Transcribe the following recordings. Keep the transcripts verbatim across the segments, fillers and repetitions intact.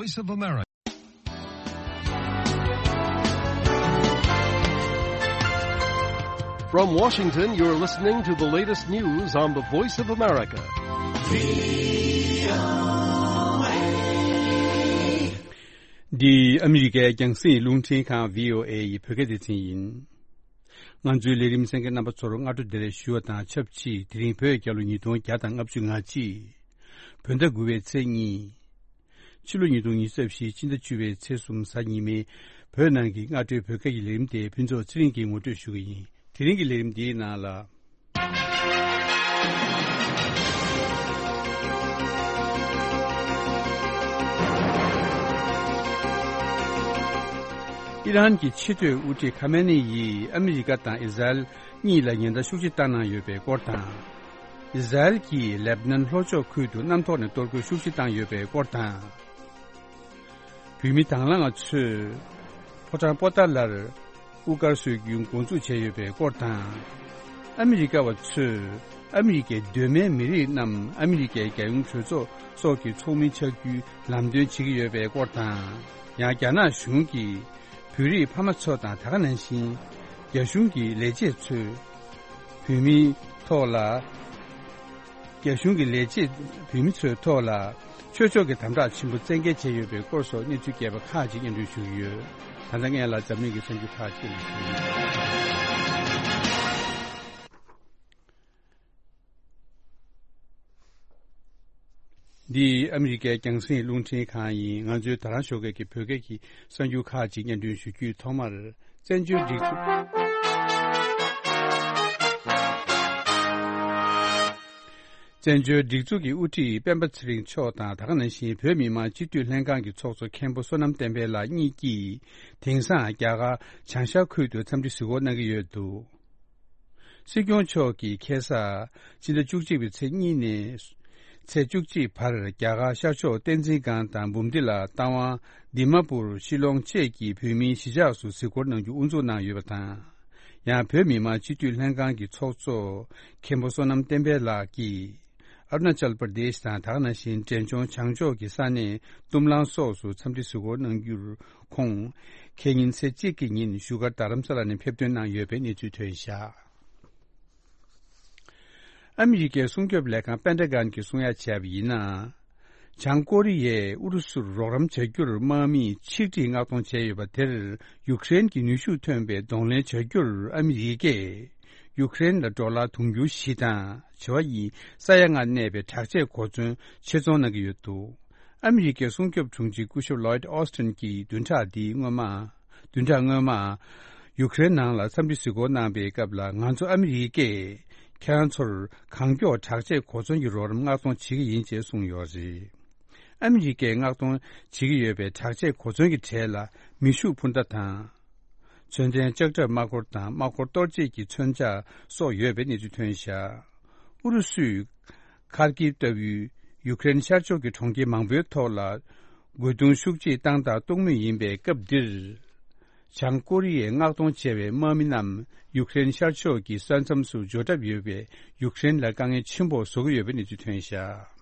Voice of America. From Washington, you're listening to the latest news on the Voice of America. འདི་ཨ་མི་རི་ཀའི་རྒྱང་སྲིང་རླུང་འཕྲིན་ཁང་བྷི་ཨོ་ཨེ་ཡི་བོད་སྐད་སྡེ་ཚན་ཡིན། ང་ཚོའི་ལས་རིམ་གསན་མཁན་རྣམ་པ་ཚོར་སྔ་དྲོ་བདེ་ལེགས་ཞུ་བ་དང་ཆབས་ཅིག་དེ་རིང་བོད་རྒྱལ་ལོ་ཉིས་སྟོང་བརྒྱ་དང་ལྔ་བཅུ་ང་གཅིག་བོད་ཟླ་དགུ་པའི་ཚེས་གཉིས། ཕྱི་ལོ་ཉིས་སྟོང་ཉི་ཤུ་རྩ་བཞི་ཕྱི་ཟླ་བཅུ་པའི་ཚེས་གསུམ་གཟའ་ཉི་མའི་བོད་ནང་གི་སྔ་དྲོའི་བོད་སྐད་ཀྱི་ལས་རིམ་དེ་ཕུན་ཚོགས་ཚེ་རིང་གིས་ངོ་སྤྲོད་ཞུ་གི་ཡིན། དེ་རིང་གི་ལས་རིམ་འདིའི་ནང་ལ། ཨི་རན་གྱི་ཕྱི་སྡོད་དབུ་ཁྲིད་ཁ་མེ་ནི་ཡིས་ཨ་མི་རི་ཀ་དང་ཨི་ཟ་རེལ་གཉིས་ལ་ཉེན་བརྡ་ཤུགས་ཆེ་བཏང་གནང་ཡོད་པའི་སྐོར་དང་། ཨི་ཟ་རེལ་གྱིས་ལེབ་ནན་ལྷོ་ཕྱོགས་ཁུལ་དུ་གནམ་ཐོག་ནས་གཏོར་རྒོལ་ཤུགས་ཆེ་བཏང་ཡོད་པའི་སྐོར་དང་། བོད་མི་དང་བླངས་ཚོས་ཕོ་བྲང་པོ་ཏཱ་ལར་དབུ་དཀར་སྲོལ་རྒྱུན་འགོ་འཛུགས་བྱས་ཡོད་པའི་སྐོར་དང་། ཨ་མི་རི་ཀ་བ་ཚོས་ཨ་མི་རི་ཀའི་གདོད་མའི་མི་རིགས་རྣམས་ཨ་མི་རི་ཀའི་རྒྱལ་ཡོངས་གྲོས་ཚོགས་སོགས་ཀྱི་ཚོགས་མི་ཆགས་རྒྱུའི་ལམ་སྟོན་བྱེད་ཀྱི་ཡོད་པའི་སྐོར་དང་། ཡང་རྒྱ་ནག་གཞུང་གིས་བོད་རིགས་ཕ་མ་ཚོ་དང་ད་ག་ནང་བཞིན་རྒྱ་གཞུང་གི་ལས་བྱེད་ཚོས་བོད་མིའི་ཐོག་ལ། རྒྱ་གཞུང་གི་ལས་བྱེད་བོད་མི་ཚོའི་ཐོག་ལ་ཆོས་ཕྱོགས་ཀྱི་དམ་དྲག་ཆེན་པོ་བཙན་འགེལ་བྱས་ཡོད་པའི་སྐོར་སོགས་གནས་ཚུལ་རྒྱས་པ་ཁག་ཅིག་སྙན་སྒྲོན་ཞུ་གི་ཡོད། ད་ལྟ་སྔོན་ལ་འཛམ་གླིང་གི་གསར་འགྱུར་ཁག་ཅིག་ལ་ཞུ་གི་ཡོད། འདི་ཨ་མི་རི་ཀའི་རྒྱང་སྲིང་རླུང་འཕྲིན་ཁང་ཡིན། ང་ཚོའི་ད་རང་ཞོགས་ཀས་ཀྱི་བོད་སྐད་ཀྱི་གསར་འགྱུར་ཁག་ཅིག་སྙན་སྒྲོན་ཞུ་རྒྱུའི་ཐོག་མར། བཙན་བྱོལ་སྒྲིག་འཛུགས། བཙན་བྱོལ་སྒྲིག་འཛུགས་ཀྱི་དབུ་ཁྲིད་སྤེན་པ་ཚེ་རིང་མཆོག་དང་ད་ག་ནང་བཞིན་བོད་མི་མང་སྤྱི་འཐུས་ལྷན་ཁང་གི་ཚོགས་གཙོ་མཁན་པོ་བསོད་ནམས་བསྟན་འཕེལ་ལགས་གཉིས་ཀྱིས་དེང་སང་རྒྱ་གར་བྱང་ཤར་ཁུལ་དུ་འཚམས་འདྲི་གཟིགས་སྐོར་གནང་གི་ཡོད་འདུག། སྲིད་སྐྱོང་མཆོག་གིས་ཁ་སང་ཕྱི་ཟླ་བཅུ་གཅིག་པའི་ཚེས་གཉིས་ནས་ཚེས་བཅུ་གཅིག་བར་རྒྱ་གར་ཤར་ཕྱོགས་བསྟན་འཛིན་སྒང་དང་འབུམ་སྡེ་ལ་རྟ་དབང་དི་མ་པུར་ཤི་ལོང་བཅས་ཀྱི་བོད་མིའི་གཞིས་ཆགས་སུ་གཟིགས་སྐོར་གནང་རྒྱུ་དབུ་འཛུགས་གནང་ཡོད་པ་དང་། ཡང་བོད་མི་མང་སྤྱི་འཐུས་ལྷན་ཁང་གི་ཚོགས་གཙོ་མཁན་པོ་བསོད་ནམས་བསྟན་འཕེལ་ལགས་ཀྱིས། ཨ་རུ་ན་ཅལ་པར་དེཤ་དང་ད་ག་ནང་བཞིན་འབྲས་ལྗོངས་བྱང་ཕྱོགས་ཀྱི་ས་གནས་ཏུམ་ལང་སོགས་སུ་འཚམས་འདྲི་གཟིགས་སྐོར་གནང་རྒྱུར་ཁོང་ཁེ་ཉིན་ཚེས་གཅིག་གི་ཉིན་བཞུགས་སྒར་རྡ་རམ་ས་ལ་ནས་ཕེབས་ཐོན་གནང་ཡོད་པའི་གནས་ཚུལ་ཐོན་བཞག། ཨ་མི་རི་ཀའི་སྲུང་སྐྱོབ་ལས་ཁང་པེན་ཏ་གན་གྱིས་གསུང་ཡ་བྱས་པ་ཡིན་ན། བྱང་ཀོ་རི་ཡས་ཨུ་རུ་སུར་རོགས་རམ་བྱ་རྒྱུར་དམག་མིས་ཆིག་སྒྲིལ་མངགས་གཏོང་བྱས་ཡོད་པ་དེར་ཡུཀ་རེན་གྱིས་ནུས་ཤུགས་ཐོན་པའི་གདོང་ལེན་བྱ་རྒྱུར་ཨ་མི་རི་ཀས་ཡུཀ་རེན་ལ་ཌོ་ལར་དུང་ཕྱུར་བཞི་དང་བྱེ་བ་གཉིས་ས་ཡ་ལྔ་གནས་པའི་དྲག་ཆས་གོ་མཚོན་ཆེད་ཚོང་གནང་གི་ཡོད་འདུག། ཨ་མི་རི་ཀའི་སྲུང་སྐྱོབ་དྲུང་ཆེ་སྐུ་ཞབས་ལོའིད་ཨོ་སྟིན་གྱིས་བདུན་ཕྲག་འདིའི་སྔོན་མ། བདུན་ཕྲག་སྔོན་མ། ཡུཀ་རེན་ནང་ལ་འཚམས་འདྲི་གཟིགས་སྐོར་གནང་པའི་སྐབས་ལ་ང་ཚོ་ཨ་མི་རི་ཀས་ཁྱེད་རང་ཚོར་གང་མགྱོགས་དྲག་ཆས་གོ་མཚོན་གྱི་རོགས་རམ་མངགས་གཏོང་བྱེད་ཀྱི་ཡིན་ཅེས་གསུངས་ཡོད་རེད། ཨ་མི་རི་ཀས་མངགས་གཏོང་བྱེད་ཀྱི་ཡོད་པའི་དྲག་ཆས་གོ་མཚོན་གྱི་གྲས་ལ་མེ་ཤུགས་འཕུར་མདའ་དང་། མཚོན་ལྡན་ལྕགས་ཁྲབ་དམག་འཁོར་དང་དམག་འཁོར་གཏོར་བྱེད་ཀྱི་མཚོན་ཆ་སོགས་ཡོད་པའི་གནས་ཚུལ་ཐོན་བཞག། ཨུ་རུ་སུས་ཁར་ཀིབ་ལྟ་བུའི་ཡུཀ་རེན་ཤར་ཕྱོགས་ཀྱི་གྲོང་ཁྱེར་མང་པོའི་ཐོག་ལ་རྒོལ་རྡུང་ཤུགས་ཆེ་བཏང་དང་གཏོང་མུས་ཡིན་པའི་སྐབས་འདིར། བྱང་ཀོ་རི་ཡས་མངགས་གཏོང་བྱས་པའི་དམག་མི་རྣམས་ཡུཀ་རེན་ཤར་ཕྱོགས་ཀྱི་ས་མཚམས་སུ་འབྱོར་གྲབས་ཡོད་པས་ཡུཀ་རེན་ལ་དཀའ་ངལ་ཆེན་པོ་བཟོ་གི་ཡོད་པའི་གནས་ཚུལ་ཐོན་བཞག།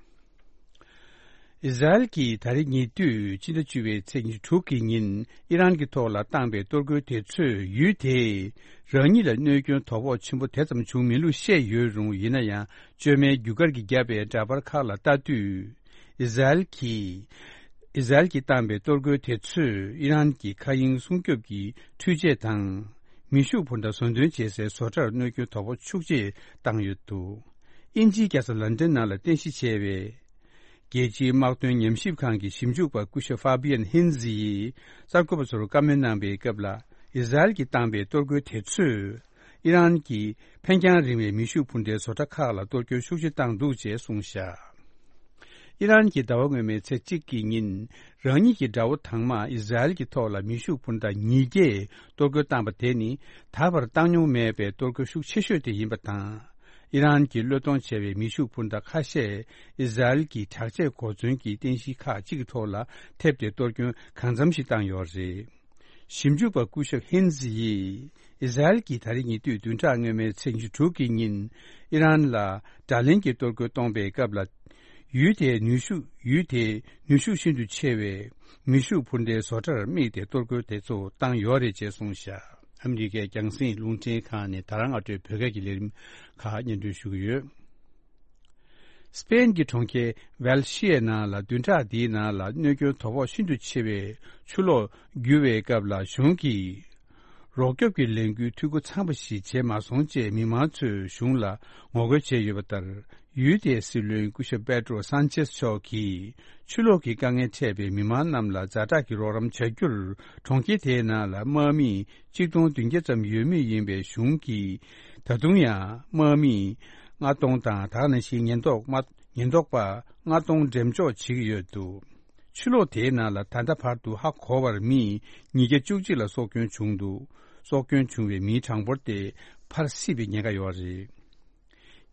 ཨི་ཟ་རེལ་གྱིས་ད་རེས་ཉེ་དུས་སྤྱི་ཟླ་བཅུ་པའི་ཚེས་ཉི་ཤུ་དྲུག་གི་ཉིན་ཨི་རན་གྱི་ཐོག་ལ་བཏང་པའི་གཏོར་རྒོལ་དེ་ཚོས་ཡུལ་དེས་རང་ཉིད་ལ་གནོད་སྐྱོན་དོ་ཕོག་ཆེན་པོ་དེ་ཙམ་བྱུང་མེད་ལུགས་བཤད་ཡོད་རུང་། ཡིན་ན་ཡང་བཅོས་མའི་རྒྱུ་སྐར་གྱིས་བརྒྱབ་པའི་འདྲ་པར་ཁག་ལ་ལྟ་དུས། ཨི་ཟ་རེལ་གྱིས་ཨི་ཟ་རེལ་གྱིས་བཏང་པའི་གཏོར་རྒོལ་དེ་ཚོས་ཨི་རན་གྱི་མཁའ་དབྱིངས་སྲུང་སྐྱོབ་ཀྱི་འཕྲུལ་ཆས་དང་མེ་ཤུགས་འཕུར་མདའ་བཟོ་འདོན་བྱེད་སའི་བཟོ་གྲྭར་གནོད་སྐྱོན་དོ་ཕོག་ཤུགས་ཆེ་བཏང་ཡོད་འདུག། དབྱིན་ཇིའི་རྒྱལ་ས་ལན་ཏན་ནང་ལ་རྟེན་གཞི་བྱས་པའི་རྒྱལ་སྤྱིའི་དམག་དོན་ཉམས་ཞིབ་ཁང་གི་ཞིབ་འཇུག་པ་སྐུ་ཞབས་ཧྥ་བྷི་ཡན་ཧིན་ཛི་ཡིས་གསར་འགོད་པ་ཚོར་བཀའ་མོལ་གནང་པའི་སྐབས་ལ། ཨི་ཟ་རེལ་གྱིས་བཏང་པའི་གཏོར་རྒོལ་དེ་ཚོས་ཨི་རན་གྱི་འཕེན་རྒྱང་རིང་བའི་མེ་ཤུགས་འཕུར་མདའི་བཟོ་གྲྭ་ཁག་ལ་གཏོར་སྐྱོན་ཤུགས་ཆེ་བཏང་འདུག་ཅེས་གསུངས་བཞག། ཨི་རན་གྱིས་ཟླ་བ་སྔོན་མའི་ཚེས་གཅིག་གི་ཉིན་རང་ཉིད་ཀྱི་དགྲ་བོ་དང་མ་ཨི་ཟ་རེལ་གྱི་ཐོག་ལ་མེ་ཤུགས་འཕུར་མདའ་ཉིས་བརྒྱས་གཏོར་རྒོལ་བཏང་པ་དེ་ནི་ད་བར་བཏང་མྱོང་མེད་པའི་གཏོར་རྒོལ་ཤུགས་ཆེ་ཤོས་དེ་ཡིན་པ་དང་། ཨི་རན་གྱིས་བློས་གཏོང་བྱས་པའི་མེ་ཤུགས་འཕུར་མདའ་ཁ་ཤས་ཨི་ཟ་རེལ་གྱི་དྲག་ཆས་གོ་མཚོན་གྱི་རྟེན་གཞི་ཁག་ཅིག་གི་ཐོག་ལ་ཐེབས་ཏེ་གཏོར་སྐྱོན་གང་འཚམ་ཞིག་བཏང་ཡོད་རེད། ཞིབ་འཇུག་པ་སྐུ་ཞབས་ཧིན་ཛི་ཡིས་ཨི་ཟ་རེལ་གྱིས་ད་རེས་ཉེ་དུས་བདུན་ཕྲག་སྔོན་མའི་ཚེས་ཉི་ཤུ་དྲུག་གི་ཉིན་ཨི་རན་ལ་དགྲ་ལན་གྱི་གཏོར་རྒོལ་གཏོང་པའི་སྐབས་ལ། ཡུལ་དེའི་ནུས་ཤུགས་ཡུལ་དེའི་ནུས་ཤུགས་ཤིན་ཏུ་ཆེ་བའི་མེ་ཤུགས་འཕུར་མདེལ་བཟོ་གྲྭར་དམིགས་ཏེ་གཏོར་རྒོལ་དེ་ཚོ་བཏང་ཡོད་རེད་ཅེས་གསུངས་བཞག་ཨ་མི་རི་ཀའི་རྒྱང་སྲིང་རླུང་འཕྲིན་ཁང་ནས་ད་རང་ཨ་སྒྲོས་བོད་སྐད་ཀྱི་ལས་རིམ་ཁག་སྙན་སྒྲོན་ཞུ་གི་ཡོད། སྤེན་གྱི་གྲོང་ཁྱེར་ཝལ་ཤི་ཡའི་ནང་ལ་བདུན་ཕྲག་འདིའི་ནང་ལ་གནོད་སྐྱོན་དོ་ཕོག་ཤིན་ཏུ་ཆེ་བའི་ཆུ་ལོག་རྒྱུ་བའི་སྐབས་ལ་གཞུང་གིས་རོགས་སྐྱོབ་ཀྱི་ལས་འགུལ་འཐུས་སྒོ་ཚང་བ་ཞིག་བྱས་མ་སོང་ཅེས་མི་མང་ཚོས་གཞུང་ལ་ངོ་རྒོལ་བྱས་ཡོད་པ་ལྟར། ཡུལ་དེའི་སྲིད་བློན་སྐུ་ཞབས་པེ་ཏྲོ་སན་ཆེས་མཆོག་གིས་ཆུ་ལོག་གི་དཀའ་ངལ་འཕྲད་པའི་མི་མང་རྣམས་ལ་ཛ་དྲག་གི་རོགས་རམ་བྱ་རྒྱུར་གྲོང་ཁྱེར་དེའི་ནང་ལ་དམག་མི་གཅིག་སྟོང་བདུན་བརྒྱ་ཙམ་ཡོད་མུས་ཡིན་པའི་གཞུང་གིས་ད་དུང་ཡང་དམག་མི་ལྔ་སྟོང་དང་ད་ག་ནང་བཞིན་ཉེན་རྟོག་དམག་ཉེན་རྟོག་པ་ལྔ་སྟོང་འགྲེམས་འཇོག་བྱེད་ཀྱི་ཡོད་འདུག་ཆུ་ལོག་དེའི་ནང་ལ་ད་ལྟ་བར་དུ་ཧ་གོ་བར་མི་ཉིས་བརྒྱ་བཅུ་གཅིག་ལ་སྲོག་སྐྱོན་བྱུང་འདུག་སྲོག་སྐྱོན་བྱུང་བའི་མིའི་གྲངས་འབོར་དེ་ཕར་སྲིད་པའི་ཉེན་ཁ་ཡོད་རེད།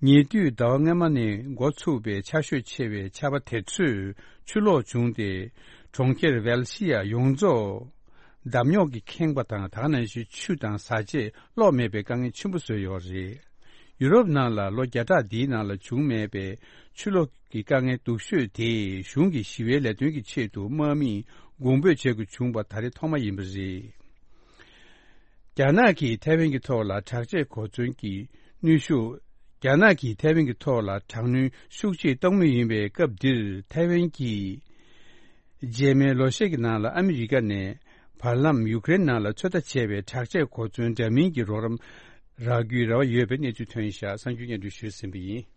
ཉེ་དུས་ཟླ་བ་སྔོན་མ་ནས་འགོ་ཚུགས་པའི་ཆར་ཞོད་ཆེ་བའི་ཆར་པ་དེ་ཚོས་ཆུ་ལོག་བྱུང་སྟེ། གྲོང་ཁྱེར་ཝལ་ཤི་ཡ་ཡོངས་རྫོགས་འདམ་རྙོག་གིས་ཁེངས་པ་དང་། ད་ག་ནང་བཞིན་ཆུ་དང་བཟའ་ཆས་གློག་མེད་པའི་དཀའ་ངལ་ཆེན་པོ་བཟོས་ཡོད་རེད། ཡུ་རོབ་ནང་ལ་ལོ་བརྒྱ་ཕྲག་འདིའི་ནང་ལ་བྱུང་མེད་པའི་ཆུ་ལོག་གི་དཀའ་ངལ་སྡུག་ཤོས་དེ་གཞུང་གི་ཞི་བའི་ལས་དོན་གྱི་ཆེད་དུ་དམག་མིས་གོང་འབོད་བྱེད་དགོས་བྱུང་བ་ད་རེས་ཐོག་མ་ཡིན་པ་རེད། རྒྱ་ནག་གིས་ཐའེ་ཝན་གྱི་ཐོག་ལ་དྲག་ཆས་གོ་མཚོན་གྱི་གནོན་ཤུགས། རྒྱ་ནག་གིས་ཐའེ་ཝན་གྱི་ཐོག་ལ་དྲག་གནོན་ཤུགས་ཆེ་གཏོང་མུས་ཡིན་པའི་སྐབས་འདིར། ཐའེ་ཝན་གྱིས་རྗེས་མའི་ལོ་ཤས་ཀྱི་ནང་ལ་ཨ་མི་རི་ཀ་ནས་བར་ལམ་ཡུ་ཀེ་རེན་ནང་ལ་ཚོད་ལྟ་བྱས་པའི་དྲག་ཆས་གོ་མཚོན་འདྲ་མིན་གྱི་རོགས་རམ་རག་རྒྱུའི་རེ་བ་ཡོད་པའི་གནས་ཚུལ་ཐོན་བཞག་གསར་འགྱུར་སྙན་སྒྲོན་ཞུས་ཟིན་པ་ཡིན།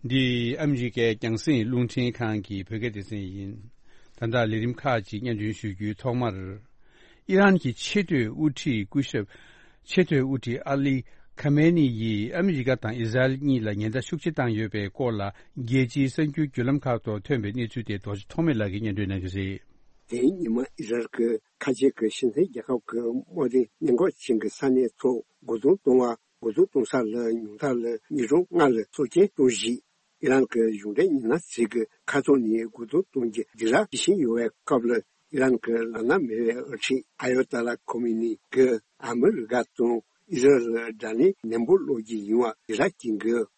འདི་ཨ་མི་རི་ཀའི་རྒྱང་སྲིང་རླུང་འཕྲིན་ཁང་གི་བོད་སྐད་སྡེ་ཚན་ཡིན། ད་ལྟ་ལས་རིམ་ཁག་ཅིག་སྙན་སྒྲོན་ཞུ་རྒྱུའི་ཐོག་མར། ཨི་རན་གྱི་ཆེས་མཐོའི་དབུ་ཁྲིད་སྐུ་ཞབས། ཆེས་མཐོའི་དབུ་ཁྲིད་ཨ་ལི་ཁ་མེ་ནི་ཡིས་ཨ་མི་རི་ཀ་དང་ཨི་ཟ་རེལ་གཉིས་ལ་ཉེན་བརྡ་ཤུགས་ཆེ་བཏང་ཡོད་པའི་སྐོར་ལ། རྒྱལ་སྤྱིའི་གསར་འགྱུར་བརྒྱུད་ལམ་ཁག་ཐོག་ཐོན་པའི་གནས་ཚུལ་དེ་རྡོ་རྗེ་ཐོགས་མེད་ལགས་ཀྱིས་སྙན་སྒྲོན་གནང་གི་རེད། དེའི་ཉིན་མ་ཨི་ཟ་རེལ་གྱི་ཁ་ཆེ་གི་ཤིན་ཐེ་རྒྱལ་ཁབ་ཀྱི་དམག་སྡེ་ཉེན་འགོག་ཅན་གྱི་ས་གནས་ཐོག་རྒོལ་རྡུང་གཏོང་བ། རྒོལ་རྡུང་གཏོང་ས་ལ་ཉུང་མཐའ་ལ་ཉིན་གྲངས་ལྔ་ལ་སྲོག་སྐྱོན་གཏོང་གཞི། ཨི་རན་གྱི་གཞུང་འབྲེལ་ཉི་ན་ཚིག་གི་ཁ་ཐོག་ནས་རྒོལ་རྡུང་གཏོང་རྒྱུ་སྒྲིག་ར་བྱེད་བཞིན་ཡོད་པའི་སྐབས་ལ། ཨི་རན་གྱི་བླ་ན་མེད་པའི་དབུ་ཁྲིད་ཨ་ཡོ་ཏཱ་ལ་ཁོ་མེ་ནི་གིས་ཨ་མི་རི་ཀ་དང་ཨི་ཟ་རེལ་ལ་དགྲ་ལན་ནན་པོ་སློག་རྒྱུ་ཡིན་པ་སྒྲིག་ར་བསྐྱོན་དགོས།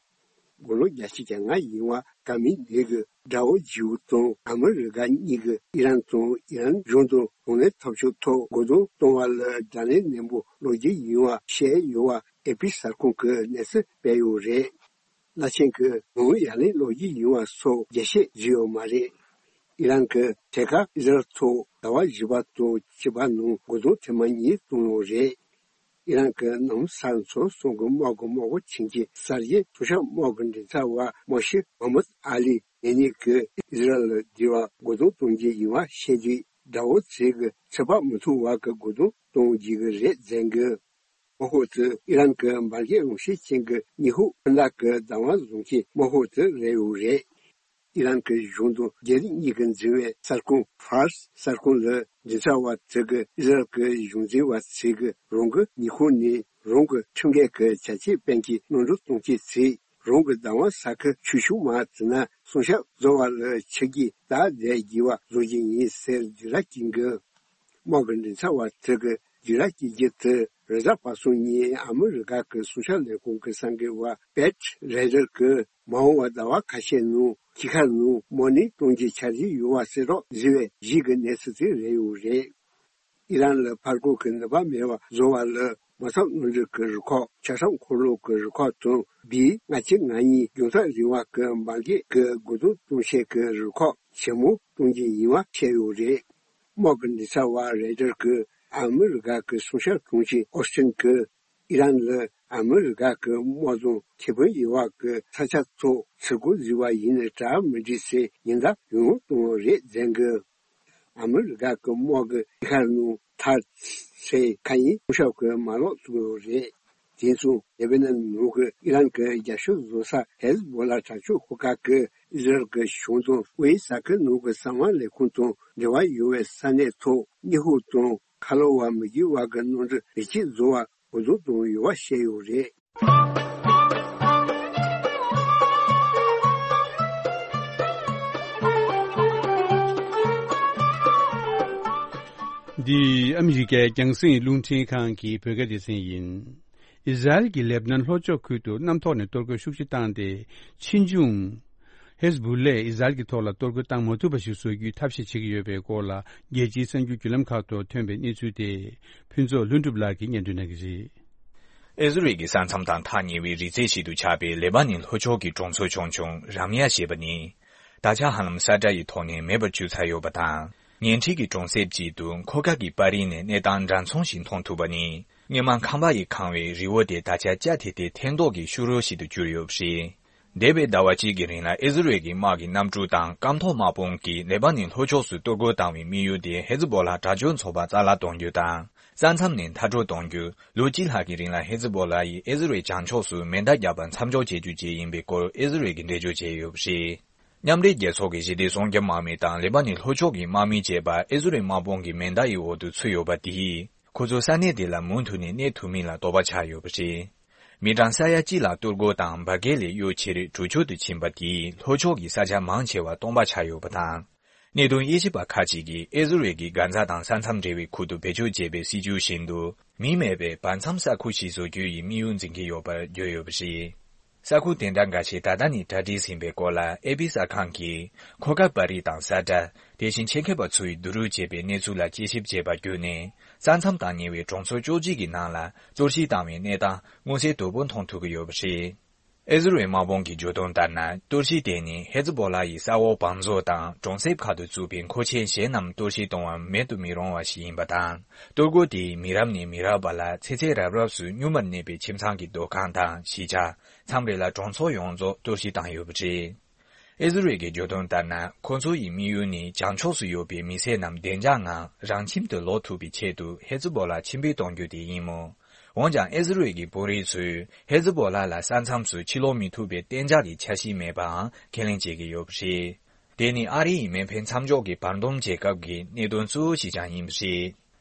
དགུང་ལོ་བརྒྱད་ཅུ་གྱ་ལྔ་ཡིན་པ་ཀ་མི་ནི་གིས་དགྲ་བོ་ཇིའུ་དང་ཨ་མི་རི་ཀ་གཉིས་ཀྱིས་ཨི་རན་དང་ཨི་རན་གཞུང་དང་གདོང་ལེན་ཐབས་ཇུས་ཐོག་རྒོལ་རྡུང་གཏོང་བ་ལ་དགྲ་ལན་ནན་པོ་སློག་རྒྱུ་ཡིན་པ་བཤད་ཡོད་པ་ཨེ་པི་གསར་ཁང་གིས་གནས་ཚུལ་སྤེལ་ཡོད་རེད། བླ་ཆེན་གྱིས་ངོ་ཡ་ལན་སློག་རྒྱུ་ཡིན་པ་སོགས་རྒྱས་བཤད་བྱས་ཡོད་མ་རེད། ཨི་རན་གྱིས་ཐད་ཀར་ཨི་ཟ་རེལ་ཐོག་ཟླ་བ་བཞི་པ་དང་བཅུ་པ་ནང་རྒོལ་རྡུང་ཐེངས་མ་གཉིས་བཏང་ཡོད་རེད། ཨི་རན་གྱི་ནང་ས་ཚོ་གསུམ་གྱི་དམག་གི་དམག་འཁོར་ཆེན་གྱི་གསར་བརྗེ་མཐོ་གཤམ་དམག་གི་མགྲིན་ཚབ་པ་མོ་ཤེ་མོ་མད་ཨ་ལི་ནེ་ནི་གིས་ཨི་ཟ་རེལ་ལ་འདི་བར་རྒོལ་རྡུང་གཏོང་རྒྱུ་ཡིན་པ་བཤད་དུས། དགྲ་བོ་ཚོས་ཀྱི་ཚོད་དཔག་མི་ཐུབ་པ་གི་རྒོལ་རྡུང་གཏོང་རྒྱུ་གི་རེད་ཟེར་གི། དམག་འཁོར་དེ་ཨི་རན་གྱི་འབར་གས་རང་བཞིན་ཅན་གྱི་ཉི་ཧོང་ཁྱིམ་བདག་གི་བདག་དབང་བཟུང་མཁན་དམག་འཁོར་དེ་རེད་ཡོད་རེད། ཨི་རན་གྱི་གཞུང་དང་རྒྱ་རིགས་གཉིས་ཀྱིས་འཛིན་པའི་གསར་ཁང་ཕཱར་སི་གསར་ཁང་ལ་མགྲིན་ཚབ་པ་དེ་གིས་ཨི་ཟ་རེལ་གྱི་གཞུང་འཛིན་པ་ཚོས་ཀྱིས་རང་གི་ཉི་ཧོང་ནས་རང་གི་ཁྲིམས་འགལ་གྱི་བྱ་སྤྱོད་སྤེལ་མཁན་གནོན་སྒྲིག་གཏོང་མཁན་ཚོས་རང་གི་བདག་དབང་ས་ཁུལ་ཆེ་ཆུང་མ་དེ་ན་སྲུང་སྐྱོབ་བཟོ་བ་ལ་ཆིག་སྒྲིལ་དང་ལྡན་དགོས་པ་བཟོ་རྒྱུ་ཡིན་ཟེར་སྒྲིག་ར་བསྐྱོན་གི། དམག་གི་མགྲིན་ཚབ་པ་དེ་གིས་སྒྲིག་ར་བསྐྱོན་རྒྱུ་དེ་རེས་གཟའ་པ་སངས་ཉིན་ཨ་མི་རི་ཀ་གི་སྲུང་སྐྱོབ་ལས་ཁུངས་ཀྱི་གསར་འགོད་པ་པེ་ཊི་རེ་ཌར་གྱིས་མ་འོངས་པ་ཟླ་བ་ཁ་ཤས་ནང་ཕྱི་ཁར་ནང་དམག་གནོན་གཏོང་རྒྱུའི་འཆར་གཞི་ཡོད་པ་གསལ་བསྒྲགས་བཟོས་པའི་གཞི་གི་གནས་ཚུལ་དེ་རེད་ཡོད་རེད། ཨི་རན་ལ་ཕར་རྒོལ་གྱི་ནུས་པ་མེད་པ་བཟོ་བ་ལ་དམག་འཐབ་གནམ་གྲུ་གི་རུ་ཁག་ཆ་ཤས་འཁོར་ལོ་གི་རུ་ཁག་དང་བི་ལྔ་བཅུ་ང་གཉིས་མགྱོགས་མཐའ་རིང་བ་གི་འབར་གས་ཀྱི་རྒོལ་རྡུང་གཏོང་བྱེད་ཀྱི་རུ་ཁག་ཆེན་མོ་གཏོང་རྒྱུ་ཡིན་པ་བཤད་ཡོད་རེད། དམག་གི་མགྲིན་ཚབ་པ་རེ་ཌར་གྱིས་ཨ་མི་རི་ཀ་གི་སྲུང་སྐྱོབ་དྲུང་ཆེ་ཨོ་སི་ཊིན་གྱིས་ཨི་རན་ལ་ཨ་མི་རི་ཀ་གི་དམག་དང་ཁེ་ཕན་ཡོད་པ་གི་ས་ཆ་ཚོ་ཚུར་རྒོལ་བཟོས་པ་ཡིན་ན་དྲག་མི་འགྲིག་ཟེར་ཉེན་བརྡ་ཡང་ཡང་བཏང་ཡོད་རེད་ཟེར་གི། ཨ་མི་རི་ཀ་གི་དམག་གིས་ཤར་ནང་ཐར་སའི་མཁའ་དབྱིངས་སྲུང་སྐྱོབ་ཀྱི་མ་ལག་བཙུགས་ཡོད་རེད། དེ་མཚུངས་ལེ་བྷ་ནན་ནང་གི་ཨི་རན་གྱི་རྒྱབ་སྐྱོར་བཟོ་ས་ཧེ་ཟི་བྷོ་ལ་དྲག་སྤྱོད་ཤོག་ཁག་གིས་ཨི་ཟི་རལ་གྱི་གཞུང་དང་དབུས་ས་ཁུལ་ནང་གི་གསང་བ་ལས་ཁུངས་དང་འབྲེལ་བ་ཡོད་པའི་ས་གནས་ཐོག་ཉི་ཧོང་དང་ཁ་ལོ་བ་མི་རྒྱུད་བར་གྱི་གནམ་གྲུ་རིགས་གཅིག་བཟོ་བར་འགོ་འཛུགས་བཏང་ཡོད་པ་བཤད་ཡོད་རེད། འདི་ཨ་མི་རི་ཀའི་རྒྱང་སྲིང་རླུང་འཕྲིན་ཁང་གི་བོད་སྐད་སྡེ་ཚན་ཡིན། ཨི་ཟ་རེལ་གྱིས་ལེབ་ནན་ལྷོ་ཕྱོགས་ཁུལ་དུ་གནམ་ཐོག་ནས་གཏོར་རྒོལ་ཤུགས་ཆེ་བཏང་སྟེ། ཕྱིས་འབྱུང་། ཧེ་ཟ་བུ་ལས་ཨི་ཟ་རེལ་གྱི་ཐོག་ལ་གཏོར་རྒོལ་བཏང་མ་ཐུབ་པ་ཞིག་བཟོ་རྒྱུའི་ཐབས་ཤེས་བྱེད་ཀྱི་ཡོད་པའི་སྐོར་ལ། རྒྱལ་སྤྱིའི་གསར་འགྱུར་བརྒྱུད་ལམ་ཁག་ཏུ་ཐོན་པའི་གནས་ཚུལ་དེ། ཕུན་ཚོགས་ལྷུན་གྲུབ་ལགས་ཀྱིས་སྙན་སྒྲོན་གནང་གི་རེད། ཨི་ཟི་རལ་གྱི་ས་མཚམས་དང་ཐག་ཉེ་བའི་རི་རྩེ་ཞིག་ཏུ་ཆགས་པའི་ལེ་པ་ནན་ལྷོ་ཕྱོགས་ཀྱི་གྲོང་ཚོ་ཆུང་ཆུང་རམ་ཡ་ཞེས་པ་ནི། ད་ཆ་ཧ་ལམ་ས་དགྲ་ཡི་ཐོག་ནས་མེད་པར་གྱུར་ཚར་ཡོད་པ་དང་། ཉེ་འཁྲིས་ཀྱི་གྲོང་གསེབ་ཅིག་ཏུ་མཁོ་དཀའ་གི་པར་རིས་ནས་གནས་སྟངས་འདྲ་མཚུངས་ཤིག་མཐོང་ཐུབ་པ་ནི། སྔོན་མ་ཁང་པ་ཡིས་གང་བའི་རི་བོ་དེ་ད་ཆ་སྐྱ་ཐེ་ཐེ་ཐལ་མདོག་གི་ཤུ་རོ་ཞིག་ཏུ་གྱུར་ཡོད་པ་རེད། འདས་པའི་ཟླ་བ་གཅིག་གི་རིང་ལ་ཨི་ཟི་རལ་གྱི་དམག་གི་གནམ་གྲུ་དང་སྐམ་ཐོག་དམག་དཔུང་གིས་ལེ་པ་ནན་ལྷོ་ཕྱོགས་སུ་གཏོར་རྒོལ་བཏང་བའི་དམིགས་ཡུལ་དེ་ཧེ་ཛི་བོ་ལ་དྲག་སྤྱོད་ཚོགས་པ་རྩ་བརླག་གཏོང་རྒྱུ་དང་། ས་མཚམས་ནས་མཐར་སྐྲོད་གཏོང་རྒྱུ། ལོ་གཅིག་ལྷག་གི་རིང་ལ་ཧེ་ཛི་བོ་ལ་ཡིས་ཨི་ཟི་རལ་བྱང་ཕྱོགས་སུ་མེ་མདའ་བརྒྱབ་པ་མཚམས་འཇོག་བྱེད་རྒྱུ་བཅས་ཡིན་པའི་སྐོར་ཨི་ཟི་རལ་གྱིས་འགྲེལ་བརྗོད་བྱས་ཡོད་པ་རེད། མཉམ་འབྲེལ་རྒྱལ་ཚོགས་ཀྱི་ཞི་བདེ་སྲུང་སྐྱོབ་དམག་མི་དང་ལེ་པ་ནན་ལྷོ་ཕྱོགས་ཀྱི་དམག་མི་བཅས་པ་ཨི་ཟི་རལ་དམག་དཔུང་གི་མེ་མདའ་ཡི་འོག་ཏུ་ཚུད་ཡོད་པ་དེས། ཁོ་ཚོ་ས་གནས་དེ་ལ་མུ་མཐུད་ནས་གནས་ཐུབ་མིན་ལ་དོགས་པ་ཆགས་ཡོད་པ་རེད། མི་གྲངས་ས་ཡ་གཅིག་ལ་གཏོར་རྒོལ་དང་འབར་གས་ལས་གཡོལ་ཕྱིར་གྲོས་ཆོད་དུ་ཕྱིན་པ་དེས་ལྷོ་ཕྱོགས་ཀྱི་ས་ཆ་མང་ཆེ་བ་སྟོང་པ་ཆགས་ཡོད་པ་དང་། གནད་དོན་དབྱེ་ཞིབ་པ་ཁག་ཅིག་གིས་ཨི་ཟི་རལ་གྱིས་གྷ་ཛ་དང་ས་མཚམས་འབྲེལ་བའི་ཁུལ་དུ་བེད་སྤྱོད་བྱས་པའི་སྲིད་ཇུས་བཞིན་དུ། མི་མེད་པའི་བར་མཚམས་ས་ཁུལ་ཞིག་བཟོ་རྒྱུ་ཡི་དམིགས་ཡུལ་འཛིན་གྱི་ཡོད་པར་བརྗོད་ཡོད་པ་རེད། ས་ཁུལ་དེ་འདྲ་འགའ་ཤས་ད་ལྟ་ནས་གྲ་སྒྲིག་ཟིན་པའི་སྐོར་ལ་ཨེ་པི་གསར་ཁང་གིས། མཁོ་དཀའ་པར་རིས་དང་ས་དགྲ། དེ་བཞིན་ཆེད་མཁས་པ་ཚོས་བསྡུ་རུབ་བྱས་པའི་གནས་ཚུལ་ལ་དཔྱད་ཞིབ་བྱས་པ་བརྒྱུད་ནས། ས་མཚམས་དང་ཉེ་བའི་གྲོང་ཚོ་བཅུ་གཅིག་གི་ནང་ལ་གཏོར་བཤིག་བཏང་བའི་གནས་སྟངས་མངོན་གསལ་དོད་པོ་མཐོང་ཐུབ་ཀྱི་ཡོད་པ་རེད། ཨི་ཟི་རལ་དམག་དཔུང་གི་བརྗོད་དོན་ལྟར་ན། གཏོར་བཤིག་དེ་ནི་ཧེ་ཛི་བོ་ལ་ཡི་ས་འོག་བང་མཛོད་དང་གྲོང་གསེབ་ཁག་ཏུ་བཙུགས་པའི་མཁོ་ཆས་གཞན་རྣམས་གཏོར་བཤིག་གཏོང་བར་མེད་དུ་མི་རུང་བ་ཞིག་ཡིན་པ་དང་། གཏོར་རྒོལ་དེས་མི་རབས་ནས་མི་རབས་བར་ལ་ཚེ་ཚད་རབ་རབས་སུ་སྨྱུག་མར་གནས་པའི་ཁྱིམ་ཚང་གི་སྡོད་ཁང་དང་གཞིས་ཆགས། མཚམས་རེ་ལ་གྲོང་ཚོ་ཡོངས་རྫོགས་གཏོར་བཤིག་བཏང་ཡོད་པ་རེད། ཨི་ཟི་རལ་གྱི་བརྗོད་དོན་ལྟར་ན། ཁོ་ཚོ་ཡི་དམིགས་ཡུལ་ནི་བྱང་ཕྱོགས་སུ་ཡོད་པའི་མི་སེར་རྣམས་བདེ་འཇགས་ངང་རང་ཁྱིམ་དུ་ལོག་ཐུབ་པའི་ཆེད་དུ་ཧེ་ཛི་བོ་ལ་ཕྱིར་འབུད་གཏོང་རྒྱུ་དེ་ཡིན་མོད། འོན་ཀྱང་ཨི་ཟི་རལ་གྱི་དཔོན་རིགས་ཚོས་ཧེ་ཛི་བོ་ལ་ལ་ས་མཚམས་སུ་ཕྱིར་ལོག་མི་ཐུབ་པའི་གཏན་འཇགས་ཀྱི་འཆར་གཞི་མེད་པའང་ཁས་ལེན་བྱེད་ཀྱི་ཡོད་པ་རེད། དེ་ནི་ཨ་རི་ཡི་མེ་འཕེན་མཚམས་འཇོག་གི་བར་འདུམ་བྱེད་སྐབས་ཀྱི་གནད་དོན་གཙོ་བོ་ཞིག་ཀྱང་ཡིན་པ་རེད།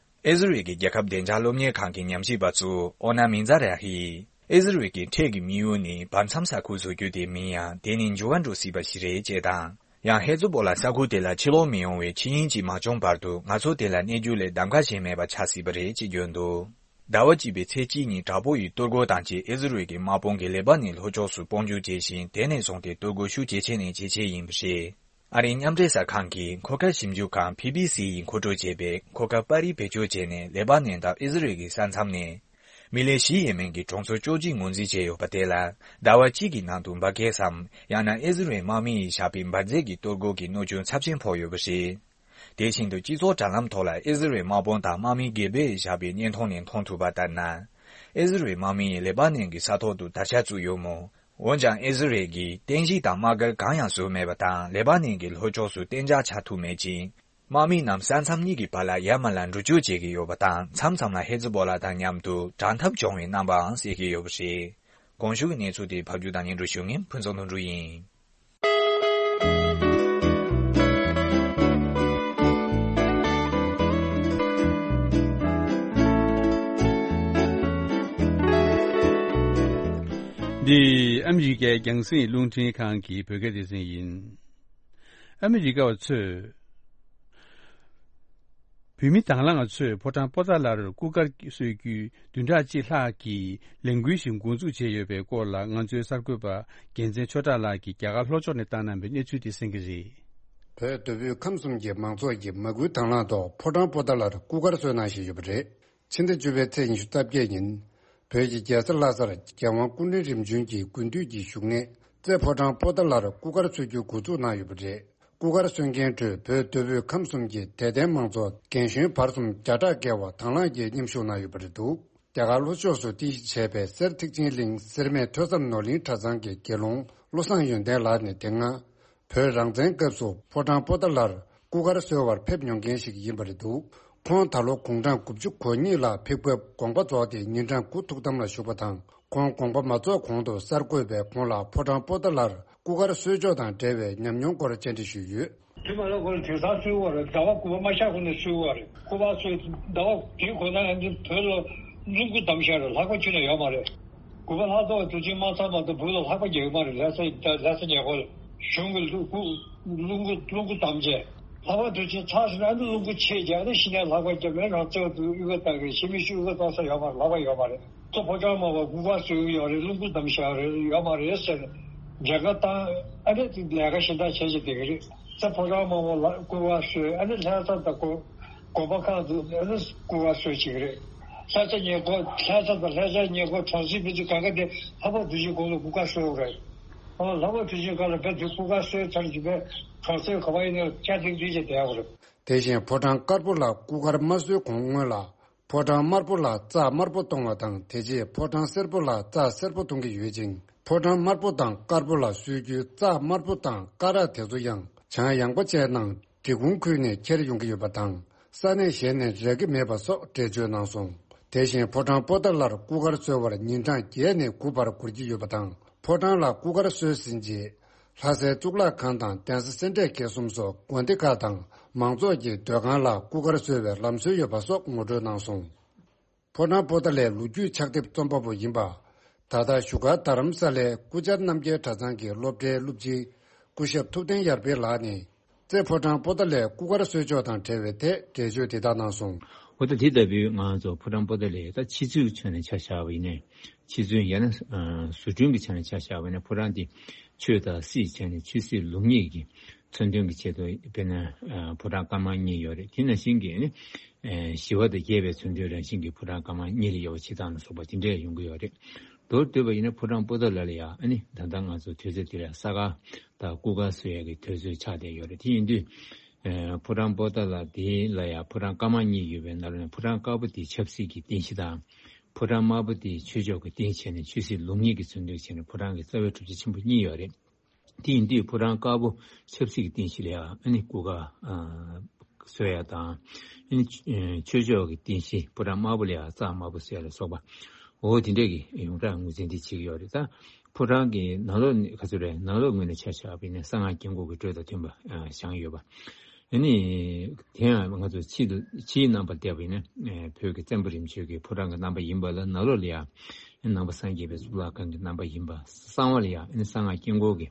ཨི་ཟི་རལ་གྱི་རྒྱལ་ཁབ་བདེ་འཇགས་སློབ་གཉེར་ཁང་གི་ཉམས་ཞིབ་པ་གཙོ་བོ་ཨོ་ན་མི་ཛ་ར་ཧིས། ཨི་ཟི་རལ་གྱི་འཕྲལ་གྱི་དམིགས་ཡུལ་ནི་བར་མཚམས་ས་ཁུལ་བཟོ་རྒྱུ་དེ་མིན་ཡང་། དེ་ནི་འགྱུར་བ་འགྲོ་སྲིད་པ་ཞིག་རེད་ཅེས་དང་། ཡང་ཧེ་ཛི་བོ་ལ་ས་ཁུལ་དེ་ལ་ཕྱིར་ལོག་མི་ཡོང་བའི་ཆོས་ཉིད་ཅིག་མ་བྱུང་བར་དུ། ང་ཚོ་དེ་ལ་གནས་རྒྱུ་ལས་གདམ་ག་གཞན་མེད་པ་ཆགས་སྲིད་པ་རེད་ཅེས་བརྗོད་འདུག་ཟླ་བ་གཅིག་པའི་ཚེས་གཅིག་ཉིན་དྲག་པོ་ཡི་གཏོར་རྒོལ་དང་བཅས་ཨི་ཟི་རལ་གྱི་དམག་དཔུང་གིས་ལེ་པ་ནན་ལྷོ་ཕྱོགས་སུ་དཔུང་འཇུག་བྱས་ཤིང་། དེ་ནས་བཟུང་སྟེ་གཏོར་རྒོལ་ཤུགས་ཇེ་ཆེ་ནས་ཇེ་ཆེ་ཡིན་པ་རེད། ཨ་རིའི་མཉམ་འབྲེལ་གསར་ཁང་གི་མཁོ་དཀའ་ཞིབ་འཇུག་ཁང་བྷི་བྷི་སི་ཡིས་མཁོ་སྤྲོད་བྱས་པའི་མཁོ་དཀའ་པར་རིས་བེད་སྤྱོད་བྱས་ནས། ལེ་པ་ནན་དང་ཨི་ཟི་རལ་གྱི་ས་མཚམས་ནས་མི་ལེ་བཞི་ཡས་མས་ཀྱི་གྲོང་ཚོ་བཅུ་གཅིག་ངོས་འཛིན་བྱས་ཡོད་པ་དེ་ལ། ཟླ་བ་གཅིག་གི་ནང་དུ་འབར་གས་སམ། ཡང་ན་ཨི་ཟི་རལ་དམག་མི་ཡིས་བཞག་པའི་འབར་རྫས་ཀྱི་གཏོར་རྒོལ་གྱི་གནོད་སྐྱོན་ཚབས་ཆེན་ཕོག་ཡོད་པ་རེད། དེ་བཞིན་དུ། སྤྱི་ཚོགས་དྲ་ལམ་ཐོག་ལ་ཨི་ཟི་རལ་དམག་དཔུང་དང་དམག་མི་སྒེར་པས་བཞག་པའི་བརྙན་ཐུང་ནས་མཐོང་ཐུབ་པ་ལྟར་ན། ཨི་ཟི་རལ་དམག་མི་ཡིས་ལེ་པ་ནན་གྱི་ས་ཐོག་ཏུ་དར་ཆ་བཙུགས་ཡོད་མོད། འོན་ཀྱང་ཨི་ཟི་རལ་གྱིས་རྟེན་གཞི་དང་དམག་སྒར་གང་ཡང་བཟོས་མེད་པ་དང་། ལེ་པ་ནན་གྱི་ལྷོ་ཕྱོགས་སུ་གཏན་འཇགས་ཆགས་ཐུབ་མེད་ཅིང་། དམག་མི་རྣམས་ས་མཚམས་གཉིས་ཀྱི་བར་ལ་ཡར་མར་ལ་འགྲུལ་སྐྱོད་བྱེད་ཀྱི་ཡོད་པ་དང་། མཚམས་མཚམས་ལ་ཧེ་ཛི་བོ་ལ་དང་མཉམ་དུ་དྲག་འཐབ་བྱུང་བའི་རྣམ་པའང་གསལ་གྱི་ཡོད་པ་རེད། གོང་ཞུས་ཀྱི་གནས་ཚུལ་དེ་ཕབ་སྒྱུར་དང་སྙན་སྒྲོན་ཞུ་མཁན་ཕུན་ཚོགས་ལྷུན་གྲུབ་ཡིན། འདི་ཨ་མི་རི་ཀའི་རྒྱང་སྲིང་རླུང་འཕྲིན་ཁང་གི་བོད་སྐད་སྡེ་ཚན་ཡིན། ཨ་མི་རི་ཀ་བ་ཚོས། བོད་མི་དང་བླངས་ཚོས་ཕོ་བྲང་པོ་ཏཱ་ལར་སྐུ་སྒར་གསོལ་རྒྱུའི་བདུན་ཕྲག་གཅིག་ལྷག་གི་ལས་འགུལ་ཞིག་འགོ་འཛུགས་བྱས་ཡོད་པའི་སྐོར་ལ། ང་ཚོའི་གསར་འགོད་པ་རྒྱལ་མཚན་ཆོས་གྲགས་ལགས་ཀྱིས་རྒྱ་གར་ལྷོ་ཕྱོགས་ནས་བཏང་གནང་བའི་གནས་ཚུལ་དེ་གསན་གྱི་རེད། བོད་མདོ་དབུས་ཁམས་གསུམ་གྱི་མང་ཚོགས་ཀྱིས་མ་སྐུལ་དང་བླངས་ཐོག་ཕོ་བྲང་པོ་ཏཱ་ལར་སྐུ་སྒར་གསོལ་གནང་བཞིན་ཡོད་པ་རེད། ཕྱི་ཟླ་བཅུ་པའི་ཚེས་ཉི་ཤུ་རྩ་བརྒྱད་ཉིན། བོད་ཀྱི་རྒྱལ་ས་ལྷ་སར་རྒྱལ་དབང་སྐུ་ཕྲེང་རིམ་བྱོན་གྱི་དགུན་དུས་ཀྱི་བཞུགས་གནས་རྩེ་ཕོ་བྲང་པོ་ཏཱ་ལར་སྐུ་སྒར་གསོལ་རྒྱུའི་འགོ་འཛུགས་གནང་ཡོད་པ་རེད། སྐུ་སྒར་གསོལ་མཁན་ཁྲོད་བོད་མདོ་དབུས་ཁམས་གསུམ་གྱི་དད་ལྡན་མང་ཚོགས་རྒན་གཞོན་བར་གསུམ་བརྒྱ་ཕྲག་བརྒལ་བ་དང་བླངས་ཀྱིས་མཉམ་ཞུགས་གནང་ཡོད་པ་རེད་འདུག་རྒྱ་གར་ལྷོ་ཕྱོགས་སུ་རྟེན་གཞི་བྱས་པའི་གསེར་ཐེག་ཆེན་གླིང་སེར་སྨད་ཐོས་བསམ་ནོར་གླིང་གྲྭ་ཚང་གི་དགེ་སློང་བློ་བཟང་ཡོན་ཏན་ལགས་ནས་དེ་སྔ་བོད་རང་བཙན་སྐབས་སུ་ཕོ་བྲང་པོ་ཏཱ་ལར་སྐུ་སྒར་གསོལ་བར་ཕེབས་མྱོང་མཁན་ཞིག་ཡིན་པ་རེད་འདུག་ཁོང་ད་ལོ་དགུང་གྲངས་དགུ་བཅུ་གོ་གཉིས་ལ་ཕེབས་སྐབས་དགོངས་པ་རྫོགས་ཏེ་ཉིན་གྲངས་དགུ་ཐུགས་དམ་ལ་བཞུགས་པ་དང་། ཁོང་དགོངས་པ་མ་རྫོགས་གོང་དུ་གསར་འགོད་པས་ཁོང་ལ་ཕོ་བྲང་པོ་ཏཱ་ལར་སྐུ་སྒར་གསོལ་ཕྱོགས་དང་འབྲེལ་བའི་ཉམས་མྱོང་སྐོར་བཅར་འདྲི་ཞུས་ཡོད། དུས་མ་ལ་ཁོ་ལ་དེང་སང་གསོལ་བ་རེད། ཟླ་བ་དགུ་པ་མ་ཤར་གོང་ནས་གསོལ་བ་རེད། སྐུ་པར་གསོལ་ཟླ་བ་དེའི་གོང་ན་ཡང་འདི་བོད་ལ་རླུང་བུ་བསྡམས་ཤག་རེད། ལྷགས་པ་ཁྱོན་ནས་ཡོད་མ་རེད། དགུ་པ་ལྷག་ཐོག་དུས་ཆེན་མ་ཚར་མ་གཏོགས་བོད་ལ་ལྷགས་པ་རྒྱག་གི་མ་རེད། ལྷ་ས་ལྷ་ས་ཉེ་འཁོར་གཞུང་གི་རླུང་བུ་རླུང་བུ་རླུང་བུ་བསྡམས་བྱས། ལྷགས་པ་དུས་ཆེན་ཚར་སོང་ན་ནི་རླུང་བུ་ཆད་རྒྱག་ནས་གཞི་ནས་ལྷགས་པ་རྒྱབ་ནས་རང་བཙན་དུ་དབུས་པ་བཏང་གི་རེད། ཕྱི་མི་ཞིག་དབུས་པ་བཏང་ས་ཡོད་མ་རེད། ལྷགས་པ་ཡོད་མ་རེད། ཚོ་ཕོ་བྲང་དམར་པོ་སྐུ་པར་གསོལ་གྱི་ཡོད་རེད། རླུང་བུ་བསྡམས་བཞག་རེད། ཡོད་མ་རེད་ཟེར་ནས་འགྲེལ་བཤད་བཏང་། ཨ་ནི་དེ་ལས་ཀ་གཞན་དག་བྱས་བྱས་བསྡད་ཀྱི་རེད། ཚེ་ཕོ་བྲང་དམར་པོ་ལ་སྐུ་པར་གསོལ། ཨ་ནི་ལྷ་ས་དང་དགོན་དགོན་པ་ཁག་ཏུ་ཨ་ནི་སྐུ་པར་གསོལ་བྱེད་ཀྱི་རེད། ལྷ་ས་ཉེ་འཁོར། ལྷ་ས་དང་ལྷ་ས་ཉེ་འཁོར་གྲོང་གསེབ་མི་ཚོ་གང་ག་དེ་ལྷག་པར་དུ་ཆེན་དགོན་ལ་སྐུ་པར་གསོལ་རེད། ཨོ། ལྷག་པར་དུ་ཆེན་སྒང་ལ་བོད་དུ་སྐུ་པར་གསོལ་ཚར་གྱི་བོད་གྲོང་གསེབ་ག་པར་ཡིན་ན་སྐྱ་ཐིང་ཐིང་བྱས་བསྡད་ཡོད་རེད། དེ་བཞིན་ཕོ་བྲང་དཀར་པོ་ལ་སྐུ་པར་མ་གསོལ་གོང་སྔོན་ལ། ཕོ་བྲང་དམར་པོ་ལ་རྩྭ་དམར་པོ་གཏོང་བ་དང་། དེ་རྗེས་ཕོ་བྲང་སེར་པོ་ལ་རྩྭ་སེར་པོ་གཏོང་གི་ཡོད་ཅིང་། ཕོ་བྲང་དམར་པོ་དང་དཀར་པོ་ལ་གསོལ་རྒྱུའི་རྩྭ་དམར་པོ་དང་སྐ་རགས་དེ་ཚོ་ཡང་བྱང་ཡངས་པ་བཅས་ནང་འབྲི་གུང་ཁུལ་ནས་ཁྱེར་ཡོང་གི་ཡོད་པ་དང་། ས་གནས་གཞན་ནས་རག་གི་མེད་པ་སོགས་འགྲེལ་བརྗོད་གནང་སོང་། དེ་བཞིན་ཕོ་བྲང་པོ་ཏཱ་ལར་སྐུ་པར་གསོལ་བར་ཉིན་གྲངས་བརྒྱད་ནས་དགུ་བར་འགོར་གྱི་ཡོད་པ་དང་། ཕོ་བྲང་ལ་སྐུ་པར་གསོལ་ཟིན་རྗེས། ལྷ་སའི་གཙུག་ལག་ཁང་དང་གདན་ས་སེ་འབྲས་དགེ་གསུམ་སོགས་དགོན་སྡེ་ཁག་དང་མང་ཚོགས་ཀྱི་སྡོད་ཁང་ལ་སྐུ་པར་གསོལ་བའི་ལམ་སྲོལ་ཡོད་པ་སོགས་ངོ་སྤྲོད་གནང་སོང་། ཕོ་བྲང་པོ་ཏཱ་ལའི་ལོ་རྒྱུས་ཕྱག་དེབ་རྩོམ་པ་པོ་ཡིན་པ། ད་ལྟ་བཞུགས་སྒར་རྡ་རམ་ས་ལའི་སྐུ་བཅར་རྣམ་རྒྱལ་གྲྭ་ཚང་གི་སློབ་གྲྭའི་སློབ་སྤྱི་སྐུ་ཞབས་ཐུབ་བསྟན་ཡར་འཕེལ་ལགས་ནས། རྩེ་ཕོ་བྲང་པོ་ཏཱ་ལའི་སྐུ་པར་གསོལ་ཕྱོགས་དང་འབྲེལ་བའི་ཐད་འགྲེལ་བརྗོད་དེ་དག་གནང་སོང་། འོ་ད་དེ་ལྟ་བུའི་ང་ཚོ་ཕོ་བྲང་པོ་ཏཱ་ལའི་ད་ཕྱི་ཚུལ་ཕྱོགས་ནས་ཆ་བཞག་པ་ཡིན་ནའི། ཕྱི་ཚུལ་ཡང་ན་ཨ་བཟོ་སྐྲུན་གྱི་ཆ་ནས་ཆ་བཞག་པ་ཡིན་ན་ཕོ་བྲང་འདི་ཆོས་དང་སྲིད་བྱས་ནས་ཆོས་སྲིད་ལུགས་གཉིས་ཀྱི་མཚོན་དོན་གྱི་ཆེད་དུ་དཔེར་ན་ཨ་ཕོ་བྲང་དཀར་དམར་གཉིས་ཡོད་རེད། དེ་ནང་བཞིན་གྱི་ནི་ཨ་ཞི་བ་དང་རྒྱས་པའི་མཚོན་དོན་རང་བཞིན་གྱི་ཕོ་བྲང་དཀར་དམར་གཉིས་ལ་དབྱེ་བ་ཕྱེ་སྟངས་ལ་སོགས་པ་དེ་འདྲས་ཡོང་གི་ཡོད་རེད། མདོར་བསྡུས་པ་ཡིན་ན་ཕོ་བྲང་པོ་ཏཱ་ལ་ལ་ཡང་ཨ་ནི་ད་ལྟ་ང་ཚོ་དུས་ཚོད་འདི་ལ་ས་དཀར་དང་སྐུ་དཀར་བཟོ་ཡག་གི་དུས་ཚོད་ཆགས་བསྡད་ཡོད་རེད། དེ་ཡིན་དུས། ཨ་ཕོ་བྲང་པོ་ཏཱ་ལ་དེ་ལ་ཡང་ཕོ་བྲང་དཀར་དམར་གཉིས་ཡོད་པའི་ནང་ལ་ནས་ཕོ་བྲང་དཀར་པོ་དེ་ཆབ་སྲིད་ཀྱི་རྟེན་གཞི་དང་། ཕོ་བྲང་དམར་པོ་དེ་ཆོས་ཕྱོགས་ཀྱི་རྟེན་བྱས་ནས་ཆོས་སྲིད་ལུགས་གཉིས་ཀྱི་མཚོན་དོན་བྱས་ནས་ཕོ་བྲང་གི་རྩ་བའི་གྲུབ་ཆ་ཆེན་པོ་གཉིས་ཡོད་རེད། དེ་ཡིན་དུས་ཕོ་བྲང་དཀར་པོ་ཆབ་སྲིད་ཀྱི་རྟེན་གཞི་ལ་ཡང་ཨ་ནི་སྐུ་དཀར་ཨ་བཟོ་ཡ་དང་། ཨ་ནི་ཆོས་ཕྱོགས་ཀྱི་རྟེན་གཞི་ཕོ་བྲང་དམར་པོ་ལ་ཡང་རྩྭ་དམར་པོ་བཟོ་ཡ་ལ་སོགས་པ། འོ་དེ་འདྲས་ཀྱི་ཡོངས་གྲགས་ངོས་འཛིན་དེ་བྱེད་ཀྱི་ཡོད་རེད་ད། ཕོ་བྲང་གི་ནང་ལོགས་ནས་ག་ཚོད་རེད། ནང་ལོགས་ངོས་ནས་ཆ་བཞག་པ་ཡིན་ན་གསང་སྔགས་སྐྱབས་མགོན་གྱི་འགྲོས་དང་མཐུན་པ་ཨ་བཞེངས་ཡོད་པ། ཨ་ནི་དེ་ཡང་ང་ཚོ་ཕྱི་ཕྱིའི་རྣམ་པར་བལྟས་པ་ཡིན་ན་ཨ་བོད་ཀྱི་བཙན་པོ་རིམ་བྱོན་གྱི་ཕོ་བྲང་གི་རྣམ་པ་ཡིན་པ་ལ་ནང་ལོགས་ལ་ཡང་ནང་པ་སངས་རྒྱས་པའི་གཙུག་ལག་ཁང་གི་རྣམ་པ་ཡིན་པ། གསང་བ་ལ་ཡང་ཨ་ནི་གསང་སྔགས་སྐྱབས་མགོན་གྱི་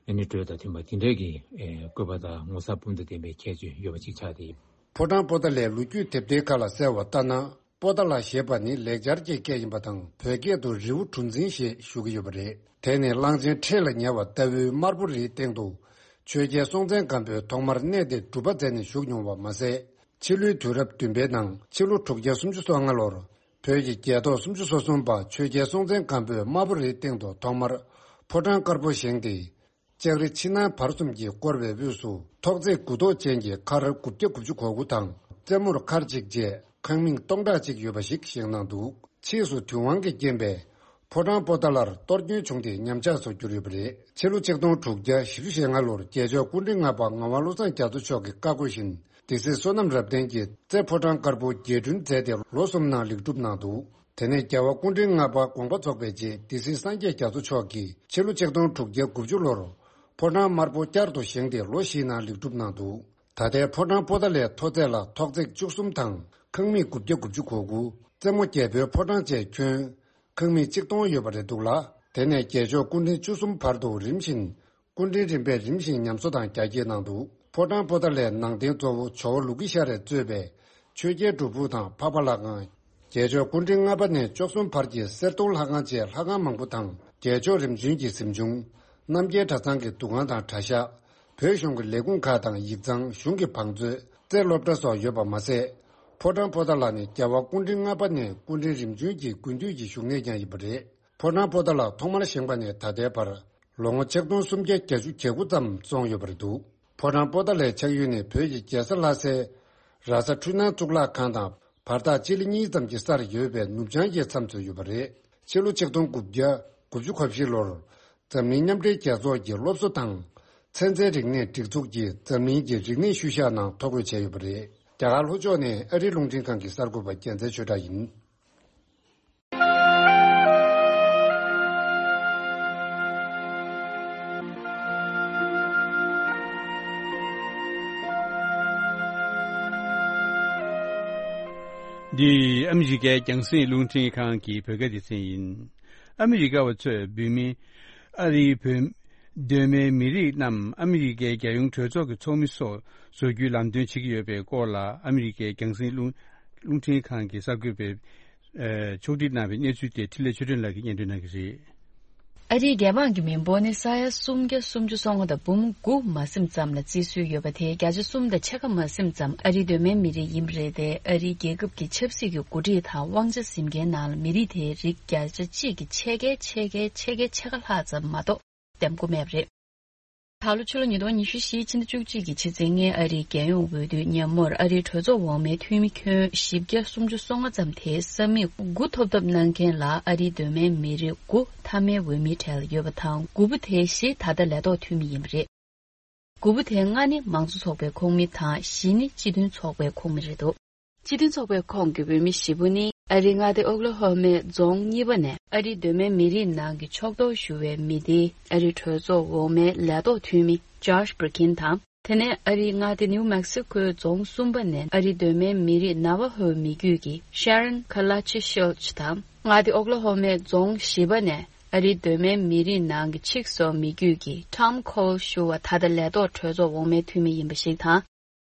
ཨ་ནི་འགྲོས་དང་མཐུན་པ་དེ་འདྲས་ཀྱི་ཨ་བཀོད་པ་དང་ངོ་མཚར་སྤུ་མདོག་ལྡན་པའི་ཁྱད་ཆོས་ཡོད་པ་ཅིག་ཆགས་ཏེ། ཕོ་བྲང་པོ་ཏཱ་ལའི་ལོ་རྒྱུས་དེབ་ཐེར་ཁག་ལ་གསལ་བ་ལྟར་ན། པོ་ཏཱ་ལ་ཞེས་པ་ནི་ལེགས་སྦྱར་གྱི་སྐད་ཡིན་པ་དང་བོད་སྐད་དུ་རི་བོ་གྲུ་འཛིན་ཞེས་ཞུ་གི་ཡོད་པ་རེད། དེ་ནི་གླང་ཆེན་ཁྲི་ལ་ཉེ་བ་ལྟ་བུའི་དམར་པོ་རིའི་སྟེང་དུ་ཆོས་རྒྱལ་སྲོང་བཙན་སྒམ་པོས་ཐོག་མར་གནས་དེར་སྒྲུབ་པ་མཛད་ནས་བཞུགས་མྱོང་བ་མ་ཟད། ཕྱི་ལོའི་དུས་རབས་བདུན་པའི་ནང་ཕྱི་ལོ་དྲུག་བརྒྱ་སུམ་ཅུ་སོ་ལྔ་ལོར་བོད་ཀྱི་རྒྱལ་ཐོག་སུམ་ཅུ་སོ་གསུམ་པ་ཆོས་རྒྱལ་སྲོང་བཙན་སྒམ་པོས་དམར་པོ་རིའི་སྟེང་དུ་ཐོག་མར་ཕོ་བྲང་དཀར་པོ་བཞེངས་ཏེ། ལྕགས་རི་ཕྱི་ནང་བར་གསུམ་གྱིས་བསྐོར་བའི་དབུས་སུ་ཐོག་བརྩེགས་དགུ་ཐོག་ཅན་གྱི་མཁར་དགུ་བརྒྱ་དགུ་བཅུ་གོ་དགུ་དང་རྩེ་མོར་མཁར་གཅིག་བཅས་ཁང་མིག་སྟོང་ཕྲག་གཅིག་ཡོད་པ་ཞིག་བཞེངས་གནང་འདུག་ཕྱིས་སུ་དུས་དབང་གིས་རྐྱེན་པས་ཕོ་བྲང་པོ་ཏཱ་ལར་གཏོར་སྐྱོན་བྱུང་སྟེ་ཉམས་ཆག་སུ་གྱུར་ཡོད་པ་རེད། ཕྱི་ལོ་ཆིག་སྟོང་དྲུག་བརྒྱ་བཞི་བཅུ་ཞེ་ལྔ་ལོར་རྒྱལ་མཆོག་སྐུ་ཕྲེང་ལྔ་པ་ངག་དབང་བློ་བཟང་རྒྱ་མཚོ་མཆོག་གི་བཀའ་བསྒོ་བཞིན་སྡེ་སྲིད་བསོད་ནམས་རབ་བརྟན་གྱིས་རྩེ་ཕོ་བྲང་དཀར་པོ་རྒྱས་སྐྲུན་མཛད་དེ་ལོ་གསུམ་ནང་ལེགས་གྲུབ་གནང་འདུག་དེ་ནས་རྒྱལ་བ་སྐུ་ཕྲེང་ལྔ་པ་དགོངས་པ་རྫོགས་པའི་རྗེས་སྡེ་སྲིད་སངས་རྒྱས་རྒྱ་མཚོ་མཆོག་གིས་ཕྱི་ལོ་ཆིག་སྟོང་དྲུག་བརྒྱ་དགུ་བཅུ་ལོར་ཕོ་བྲང་དམར་པོ་བསྐྱར་དུ་བཞེངས་ཏེ་ལོ་བཞིའི་ནང་ལེགས་གྲུབ་གནང་འདུག་ད་ལྟའི་ཕོ་བྲང་པོ་ཏཱ་ལའི་མཐོ་ཚད་ལ་ཐོག་བརྩེགས་བཅུ་གསུམ་དང་ཁང་མིག་དགུ་བརྒྱ་དགུ་བཅུ་གོ་དགུ། རྩེ་མོ་རྒྱལ་པོའི་ཕོ་བྲང་བཅས་ཁྱོན་ཁང་མིག་ཆིག་སྟོང་ཡོད་པ་རེད་འདུག་ལ། དེ་ནས་རྒྱལ་མཆོག་སྐུ་ཕྲེང་བཅུ་གསུམ་བར་དུ་རིམ་བཞིན་སྐུ་ཕྲེང་རིམ་པས་རིམ་བཞིན་ཉམས་གསོ་དང་རྒྱ་སྐྱེད་གནང་འདུག་ཕོ་བྲང་པོ་ཏཱ་ལའི་ནང་རྟེན་གཙོ་བོ་ཇོ་བོ་ལུ་ཀི་ཤ་རས་གཙོས་པའི་ཆོས་རྒྱལ་སྒྲུབ་ཕུག་དང་འཕགས་པ་ལྷ་ཁང་། རྒྱལ་མཆོག་སྐུ་ཕྲེང་ལྔ་པ་ནས་བཅུ་གསུམ་བར་གྱི་གསེར་གདུང་ལྷ་ཁང་བཅས་ལྷ་ཁང་མང་པོ་དང་རྒྱལ་མཆོག་རིམ་བྱོན་གྱི་གཟིམ་ཆུང་། རྣམ་རྒྱལ་གྲྭ་ཚང་གི་འདུ་ཁང་དང་གྲྭ་ཤག་བོད་གཞུང་གི་ལས་ཁུངས་ཁག་དང་ཡིག་ཚང་། གཞུང་གི་བང་མཛོད། རྩེ་སློབ་གྲྭ་སོགས་ཡོད་པ་མ་ཟད། ཕོ་བྲང་པོ་ཏཱ་ལ་ནི་རྒྱལ་བ་སྐུ་ཕྲེང་ལྔ་པ་ནས་སྐུ་ཕྲེང་རིམ་བྱོན་གྱི་དགུན་དུས་ཀྱི་བཞུགས་གནས་ཀྱང་ཡིན་པ་རེད། ཕོ་བྲང་པོ་ཏཱ་ལ་ཐོག་མར་བཞེངས་པ་ནས་ད་ལྟའི་བར་ལོ་ངོ་ཆིག་སྟོང་སུམ་བརྒྱ་བརྒྱད་ཅུ་གྱ་དགུ་ཙམ་སོང་ཡོད་པ་རེད་འདུག་ཕོ་བྲང་པོ་ཏཱ་ལའི་ཆགས་ཡུལ་ནི་བོད་ཀྱི་རྒྱལ་ས་ལྷ་སའི་ར་ས་འཕྲུལ་སྣང་གཙུག་ལག་ཁང་དང་བར་ཐག་སྤྱི་ལེ་གཉིས་ཙམ་གྱི་སར་ཡོད་པའི་ནུབ་བྱང་གི་མཚམས་སུ་ཡོད་པ་རེད། ཕྱི་ལོ་ཆིག་སྟོང་དགུ་བརྒྱ་དགུ་བཅུ་གོ་བཞི་ལོར་འཛམ་གླིང་མཉམ་འབྲེལ་རྒྱལ་ཚོགས་ཀྱི་སློབ་གསོ་དང་ཚན་རྩལ་རིག་གནས་སྒྲིག་འཛུགས་ཀྱིས་འཛམ་གླིང་གི་རིག་གནས་ཤུལ་བཞག་ནང་ཐོ་འགོད་བྱས་ཡོད་པ་རེད། རྒྱ་གར་ལྷོ་ཕྱོགས་ནས་ཨ་རིའི་རླུང་འཕྲིན་ཁང་གི་གསར་འགོད་པ་རྒྱལ་མཚན་ཆོས་གྲགས་ཡིན། འདི་ཨ་མི་རི་ཀའི་རྒྱང་སྲིང་རླུང་འཕྲིན་ཁང་གི་བོད་སྐད་སྡེ་ཚན་ཡིན། ཨ་མི་རི་ཀ་བ་ཚོས་བོད་མི་ཨ་རིའི་བོད་གདོད་མའི་མི་རིགས་རྣམས་ཨ་མི་རི་ཀའི་རྒྱལ་ཡོངས་གྲོས་ཚོགས་ཀྱི་ཚོགས་མི་སོགས་བཟོ་རྒྱུའི་ལམ་སྟོན་བྱེད་ཀྱི་ཡོད་པའི་སྐོར་ལ་ཨ་མི་རི་ཀའི་རྒྱང་སྲིང་རླུང་རླུང་འཕྲིན་ཁང་གི་གསར་འགོད་པས། ཕྱོགས་སྒྲིག་གནང་བའི་གནས་ཚུལ་དེ་འཕྲིན་ལས་ཆོས་སྒྲོན་ལགས་ཀྱིས་སྙན་སྒྲོན་གནང་གི་རེད། ཨ་རིའི་རྒྱལ་འབངས་ཀྱི་མི་འབོར་ནི་ས་ཡ་སུམ་བརྒྱ་སུམ་ཅུ་སོ་ལྔ་དང་འབུམ་དགུ་མ་ཟིན་ཙམ་ལ་བརྩི་སྲོལ་ཡོད་པ་དེ། བརྒྱ་ཆ་གསུམ་དང་ཕྱེད་ཀ་མ་ཟིན་ཙམ་ཨ་རིའི་གདོད་མའི་མི་རིགས་ཡིན་པ་རེད་དེ། ཨ་རིའི་རྒྱལ་ཁབ་ཀྱི་ཆབ་སྲིད་ཀྱི་འགོ་ཁྲིད་དང་དབང་ཆ་འཛིན་མཁན་ནང་ལ་མི་རིགས་དེའི་རིགས་བརྒྱ་ཆ་གཅིག་གི་ཕྱེད་ཀའི་ཕྱེད་ཀའི་ཕྱེད་ཀའི་ཕྱེད་ཀ་ལྷག་ཙམ་མ་གཏོགས་འདེམས་སྒོ་མེད་པ་རེད། ད་ལོ་ཕྱི་ལོ་ཉིས་སྟོང་ཉི་ཤུ་བཞི་ཕྱི་ཟླ་བཅུ་གཅིག་གི་ཕྱི་ཚེས་ལྔའི་ཨ་རིའི་རྒྱལ་ཡོངས་འོས་བསྡུའི་ཉིན་མོར། ཨ་རིའི་གྲོས་ཚོགས་འོག་མའི་འཐུས་མི་ཁྱོན་བཞི་བརྒྱ་སུམ་ཅུ་སོ་ལྔ་ཙམ་དེའི་ས་མིག་དགུ་ཐོབ་ཐབས་གནང་མཁན་ལ་ཨ་རིའི་གདོད་མའི་མི་རིགས་དགུ་མཐའ་མའི་འོས་མིའི་གྲལ་ལ་ཡོད་པ་དང་། དགུ་པོ་དེའི་བཞི་ད་ལྟ་ལས་ཐོག་འཐུས་མི་ཡིན་པ་རེད། དགུ་པོ་དེའི་ལྔ་ནི་མང་གཙོ་ཚོགས་པའི་ཁོངས་མི་དང་། བཞི་ནི་སྤྱི་མཐུན་ཚོགས་པའི་ཁོངས་མི་རེད་འདུག་སྤྱི་མཐུན་ཚོགས་པའི་ཁོངས་ཀྱི་འོས་མི་བཞི་པོ་ནི། ཨ་རིའི་མངའ་སྡེ་ཨོག་ལ་ཧོ་མའི་རྫོང་གཉིས་པ་ནས་ཨ་རིའི་གདོད་མའི་མི་རིགས་ནང་གི་ཕྱོགས་གཏོགས་ཞུ་བའི་མི་སྡེའི་ཨ་རིའི་གྲོས་ཚོགས་འོག་མའི་ལས་ཐོག་འཐུས་མི་ཇོ་ཤ་བྷི་རི་ཀིན་དང་། དེ་ནས་ཨ་རིའི་མངའ་སྡེ་ནིའུ་མེག་སི་ཁོའི་རྫོང་གསུམ་པ་ནས་ཨ་རིའི་གདོད་མའི་མི་རིགས་ན་ཝ་ཧོའི་མི་རྒྱུད་ཀྱི་ཤ་རན་ཁ་ལ་ཆི་ཤོལ་ཆི་དང་། མངའ་སྡེ་ཨོག་ལ་ཧོ་མའི་རྫོང་བཞི་པ་ནས་ཨ་རིའི་གདོད་མའི་མི་རིགས་ནང་གི་ཆིག་སོ་མི་རྒྱུད་ཀྱི་ཊོམ་ཁོལ་ཞུ་བ་ད་ལྟ་ལས་ཐོག་གྲོས་ཚོགས་འོག་མའི་འཐུས་མི་ཡིན་པ་ཞིག་དང་།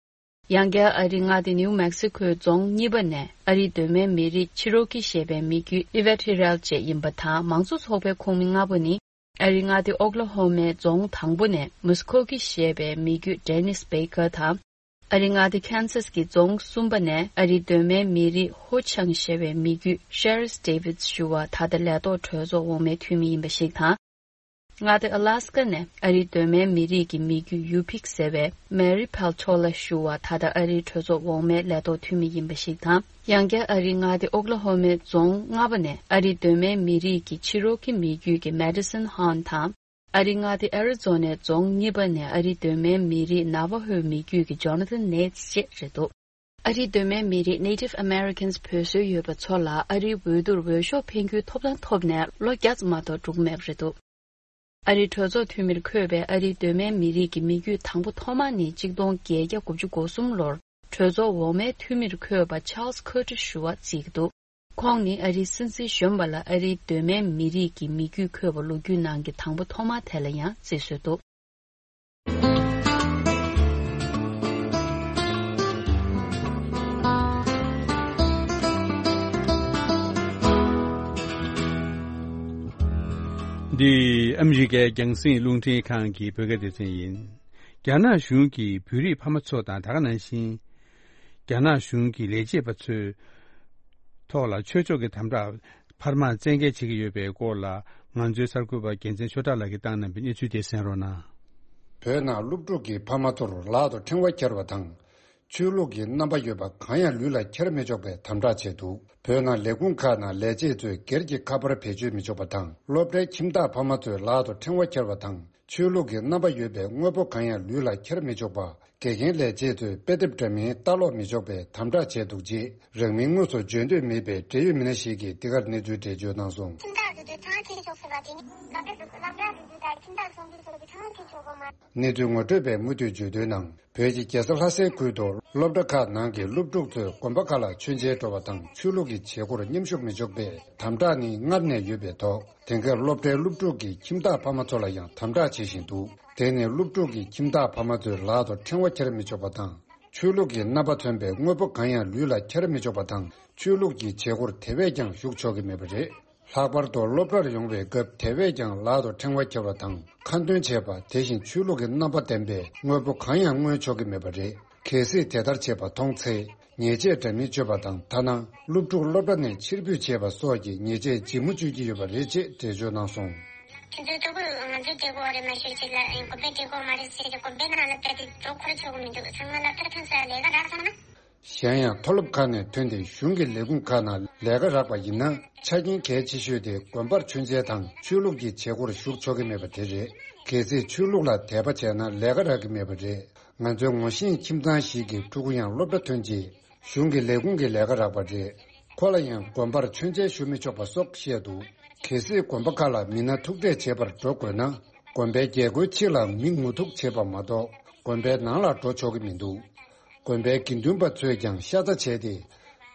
ཡང་བསྐྱར་ཨ་རིའི་མངའ་སྡེ་ནིའུ་མེག་སི་ཁོའི་རྫོང་གཉིས་པ་ནས་ཨ་རིའི་གདོད་མའི་མི་རིགས་ཕྱི་རོལ་གྱི་ཞེས་པའི་མི་རྒྱུད་ཨི་ཝེ་ཊི་རལ་བཅས་ཡིན་པ་དང་། མང་གཙོ་ཚོགས་པའི་ཁོངས་མི་ལྔ་པོ་ནི། ཨ་རིའི་མངའ་སྡེ་ཨོག་ལ་ཧོ་མའི་རྫོང་དང་པོ་ནས་མུ་སི་ཁོ་གི་ཞེས་པའི་མི་རྒྱུད་ཌེ་ནིས་བྷེ་ཀར་དང་། ཨ་རིའི་མངའ་སྡེ་ཁན་སཱ་སི་ཀྱི་རྫོང་གསུམ་པ་ནས་ཨ་རིའི་གདོད་མའི་མི་རིགས་ཧོ་ཆང་ཞེས་པའི་མི་རྒྱུད་ཤེ་རིས་ཌེ་བིད་ཞུ་བ་ད་ལྟ་ལས་ཐོག་གྲོས་ཚོགས་འོག་མའི་འཐུས་མི་ཡིན་པ་ཞིག་དང་། མངའ་སྡེ་ཨ་ལ་སི་ཀ་ནས་ཨ་རིའི་གདོད་མའི་མི་རིགས་ཀྱི་མི་རྒྱུད་ཡུ་ཕིག་ཟེར་བའི་མེ་རི་ཕལ་ཆོ་ལ་ཞུ་བ་ད་ལྟ་ཨ་རིའི་གྲོས་ཚོགས་འོག་མའི་ལས་ཐོག་འཐུས་མི་ཡིན་པ་ཞིག་དང་། ཡང་བསྐྱར་ཨ་རིའི་མངའ་སྡེ་ཨོག་ལ་ཧོ་མའི་རྫོང་ལྔ་པ་ནས་ཨ་རིའི་གདོད་མའི་མི་རིགས་ཀྱི་ཕྱི་རོལ་གྱི་མི་རྒྱུད་ཀྱི་མེ་ཌི་སོན་ཧོན་དང་། ཨ་རིའི་མངའ་སྡེ་ཨེ་རི་ཛོ་ནའི་རྫོང་གཉིས་པ་ནས་ཨ་རིའི་གདོད་མའི་མི་རིགས་ན་ཝ་ཧོའི་མི་རྒྱུད་ཀྱི་ཇོ་ན་ཐན་ནེ་ཏི་བཅས་རེད་འདུག་ཨ་རིའི་གདོད་མའི་མི་རིགས་Native Americans བོད་སྲོལ་ཡོད་པ་ཚོ་ལ་ཨ་རིའི་འོས་བསྡུར་འོས་ཤོག་འཕེན་རྒྱུའི་ཐོབ་ཐང་ཐོབ་ནས་ལོ་བརྒྱ་ཙམ་མ་གཏོགས་འགྲོ་གི་མེད་པ་རེད་འདུག་ཨ་རིའི་གྲོས་ཚོགས་འཐུས་མིར་འཁོད་པའི་ཨ་རིའི་གདོད་མའི་མི་རིགས་ཀྱི་མི་རྒྱུད་དང་པོ་ཐོག་མ་ནི་གཅིག་སྟོང་བརྒྱད་བརྒྱ་དགུ་བཅུ་གོ་གསུམ་ལོར་གྲོས་ཚོགས་འོག་མའི་འཐུས་མིར་འཁོད་པ་ཆཱལ་སི་ཁོ་ཏི་ཞུ་བ་བརྩི་གི་འདུག་ཁོང་ནི་ཨ་རིའི་སྲིད་འཛིན་གཞོན་པ་ལ་ཨ་རིའི་གདོད་མའི་མི་རིགས་ཀྱི་མི་རྒྱུད་འཁོད་པ་ལོ་རྒྱུས་ནང་གི་དང་པོ་ཐོག་མ་དེ་ལ་ཡང་བརྩི་སྲོལ་འདུག་འདི་ཨ་མི་རི་ཀའི་རྒྱང་སྲིང་རླུང་འཕྲིན་ཁང་གི་བོད་སྐད་སྡེ་ཚན་ཡིན། རྒྱ་ནག་གཞུང་གིས་བོད་རིགས་ཕ་མ་ཚོ་དང་ད་ག་ནང་བཞིན། རྒྱ་ནག་གཞུང་གི་ལས་བྱེད་པ་ཚོའི་ཐོག་ལ་ཆོས་ཕྱོགས་ཀྱི་དམ་དྲག་འཕར་མ་བཙན་འགེལ་བྱེད་ཀྱི་ཡོད་པའི་སྐོར་ལ། ང་ཚོའི་གསར་འགོད་པ་རྒྱལ་མཚན་ཆོས་གྲགས་ལགས་ཀྱིས་བཏང་གནང་བའི་གནས་ཚུལ་དེ་གསན་རོགས་གནང་། བོད་ནང་སློབ་ཕྲུག་གི་ཕ་མ་ཚོར་ལག་ཏུ་ཕྲེང་བ་འཁྱེར་བ་དང་། ཆོས་ལུགས་ཀྱི་རྣམ་པ་ཡོད་པ་གང་ཡང་ལུས་ལ་འཁྱེར་མི་ཆོག་པའི་དམ་དྲག་བྱས་འདུག་བོད་ནང་ལས་ཁུངས་ཁག་ནང་ལས་བྱེད་ཚོས་སྒེར་གྱི་ཁ་པར་བེད་སྤྱོད་མི་ཆོག་པ་དང་། སློབ་གྲྭའི་ཁྱིམ་བདག་ཕ་མ་ཚོས་ལག་ཏུ་ཕྲེང་བ་འཁྱེར་བ་དང་། ཆོས་ལུགས་ཀྱི་རྣམ་པ་ཡོད་པའི་དངོས་པོ་གང་ཡང་ལུས་ལ་འཁྱེར་མི་ཆོག་པ། དགེ་རྒན་ལས་བྱེད་ཚོས་དཔེ་དེབ་འདྲ་མིན་ལྟ་ཀློག་མི་ཆོག་པའི་དམ་དྲག་བྱས་འདུག་ཅེས་རང་མིང་དངོས་སུ་བརྗོད་འདོད་མེད་པའི་འབྲེལ་ཡོད་མི་སྣ་ཞིག་གིས་འདི་གར་གནས་ཚུལ་འགྲེལ་བརྗོད་གནང་སོང་། ཁྱིམ་བདག་ཚོས་ཕྲེང་བ་འཁྱེར་ཆོག་ཟེར་བ་དེ་ནི་སློབ་གྲྭ་སློབ་གྲྭ་སློབ་གྲྭ་ཁྱིམ་བདག་ཚོགས་འདུ་སོགས་ཀྱི་ཕྲེང་བ་འཁྱེར་ཆོག་གོ་མ། གནས་ཚུལ་ངོ་སྤྲོད་པས་མུ་མཐུད་བརྗོད་དོན་ནང་། བོད་ཀྱི་རྒྱལ་ས་ལྷ་སའི་ཁུལ་དུ་སློབ་གྲྭ་ཁག་ནང་གི་སློབ་ཕྲུག་ཚོས་དགོན་པ་ཁག་ལ་མཆོད་མཇལ་འགྲོ་བ་དང་ཆོས་ལུགས་ཀྱི་བྱེད་སྒོར་མཉམ་ཞུགས་མི་ཆོག་པའི་དམ་དྲག་ནི་སྔར་ནས་ཡོད་པའི་ཐོག་དེང་སྐབས་སློབ་གྲྭའི་སློབ་ཕྲུག་གི་ཁྱིམ་བདག་ཕ་མ་ཚོ་ལ་ཡང་དམ་དྲག་བྱེད་བཞིན་འདུག་དེ་ནི་སློབ་ཕྲུག་གི་ཁྱིམ་བདག་ཕ་མ་ཚོས་ལག་ཏུ་ཕྲེང་བ་འཁྱེར་མི་ཆོག་པ་དང་། ཆོས་ལུགས་ཀྱི་རྣམ་པ་མཚོན་པའི་དངོས་པོ་གང་ཡང་ལུས་ལ་འཁྱེར་མི་ཆོག་པ་དང་། ཆོས་ལུགས་ཀྱི་བྱེད་སྒོར་དེ་བས་ཀྱང་ཞུགས་ཆོག་གི་མེད་པ་རེད། ལྷག་པར་དུ་སློབ་གྲྭར་ཡོང་བའི་སྐབས་དེ་བས་ཀྱང་ལག་ཏུ་ཕྲེང་བ་འཁྱེར་བ་དང་ཁ་འདོན་བྱེད་པ། དེ་བཞིན་ཆོས་ལུགས་ཀྱི་རྣམ་པ་ལྡན་པའི་དངོས་པོ་གང་ཡང་མངོན་ཆོག་གི་མེད་པ་རེད། གལ་སྲིད་དེ་ལྟར་བྱས་པ་མཐོང་ཚེ། ཉེས་ཆད་འདྲ་མིན་གཅོད་པ་དང་། ཐ་ན་སློབ་ཕྲུག་སློབ་གྲྭ་ནས་ཕྱིར་འབུད་བྱས་པ་སོགས་ཀྱི་ཉེས་ཆད་ལྗིད་མོ་གཅོད་ཀྱི་ཡོད་པ་རེད་ཅེས་འགྲེལ་བརྗོད་གནང་སོང་། ཁྱེད་ཚོའི་ལྟོ་གོས་ང་ཚོའི་བདེ་སྐོར་རེད་མ་ཤེས་ཅིག་ལ་དགོན་པའི་བདེ་སྐོར་མ་རེད་ཟེར་ཏེ་དགོན་པའི་ནང་ལ་བསྡད་དེ་འགྲོ་འཁོར་ཆོག་གི་མི་འདུག་ཚང་མ་སློབ་གྲྭ་ཐོན་ཚར་ལས་ཀ་རག་སོང་ན། གཞན་ཡང་མཐོ་སློབ་ཁག་ནས་ཐོན་ཏེ་གཞུང་གི་ལས་ཁུངས་ཁག་ནང་ལས་ཀ་རག་པ་ཡིན་ན། ཆ་རྐྱེན་གལ་ཆེ་ཤོས་དེ་དགོན་པར་མཆོད་མཇལ་དང་ཆོས་ལུགས་ཀྱི་བྱེད་སྒོར་ཞུགས་ཆོག་གི་མེད་པ་དེ་རེད། གལ་སྲིད་ཆོས་ལུགས་ལ་དད་པ་བྱས་ན་ལས་ཀ་རག་གི་མེད་པ་རེད། ང་ཚོའི་ངོ་ཤེས་ཁྱིམ་ཚང་ཞིག་གི་ཕྲུ་གུ་ཡང་སློབ་གྲྭ་ཐོན་རྗེས་གཞུང་གི་ལས་ཁུངས་ཀྱི་ལས་ཀ་རག་པ་རེད། ཁོ་ལ་ཡང་དགོན་པར་མཆོད་མཇལ་ཞུ་མི་ཆོག་པ་སོགས་བཤད་འདུག་གལ་སྲིད་དགོན་པ་ཁག་ལ་མི་སྣ་ཐུག་འཕྲད་བྱེད་པར་འགྲོ་དགོས་ན། དགོན་པའི་རྒྱལ་སྒོའི་ཕྱི་ལ་མི་ངོ་ཐུག་བྱེད་པ་མ་གཏོགས་དགོན་པའི་ནང་ལ་འགྲོ་ཆོག་གི་མི་འདུག་དགོན་པའི་དགེ་འདུན་པ་ཚོས་ཀྱང་ཤ་ཚ་བྱས་ཏེ།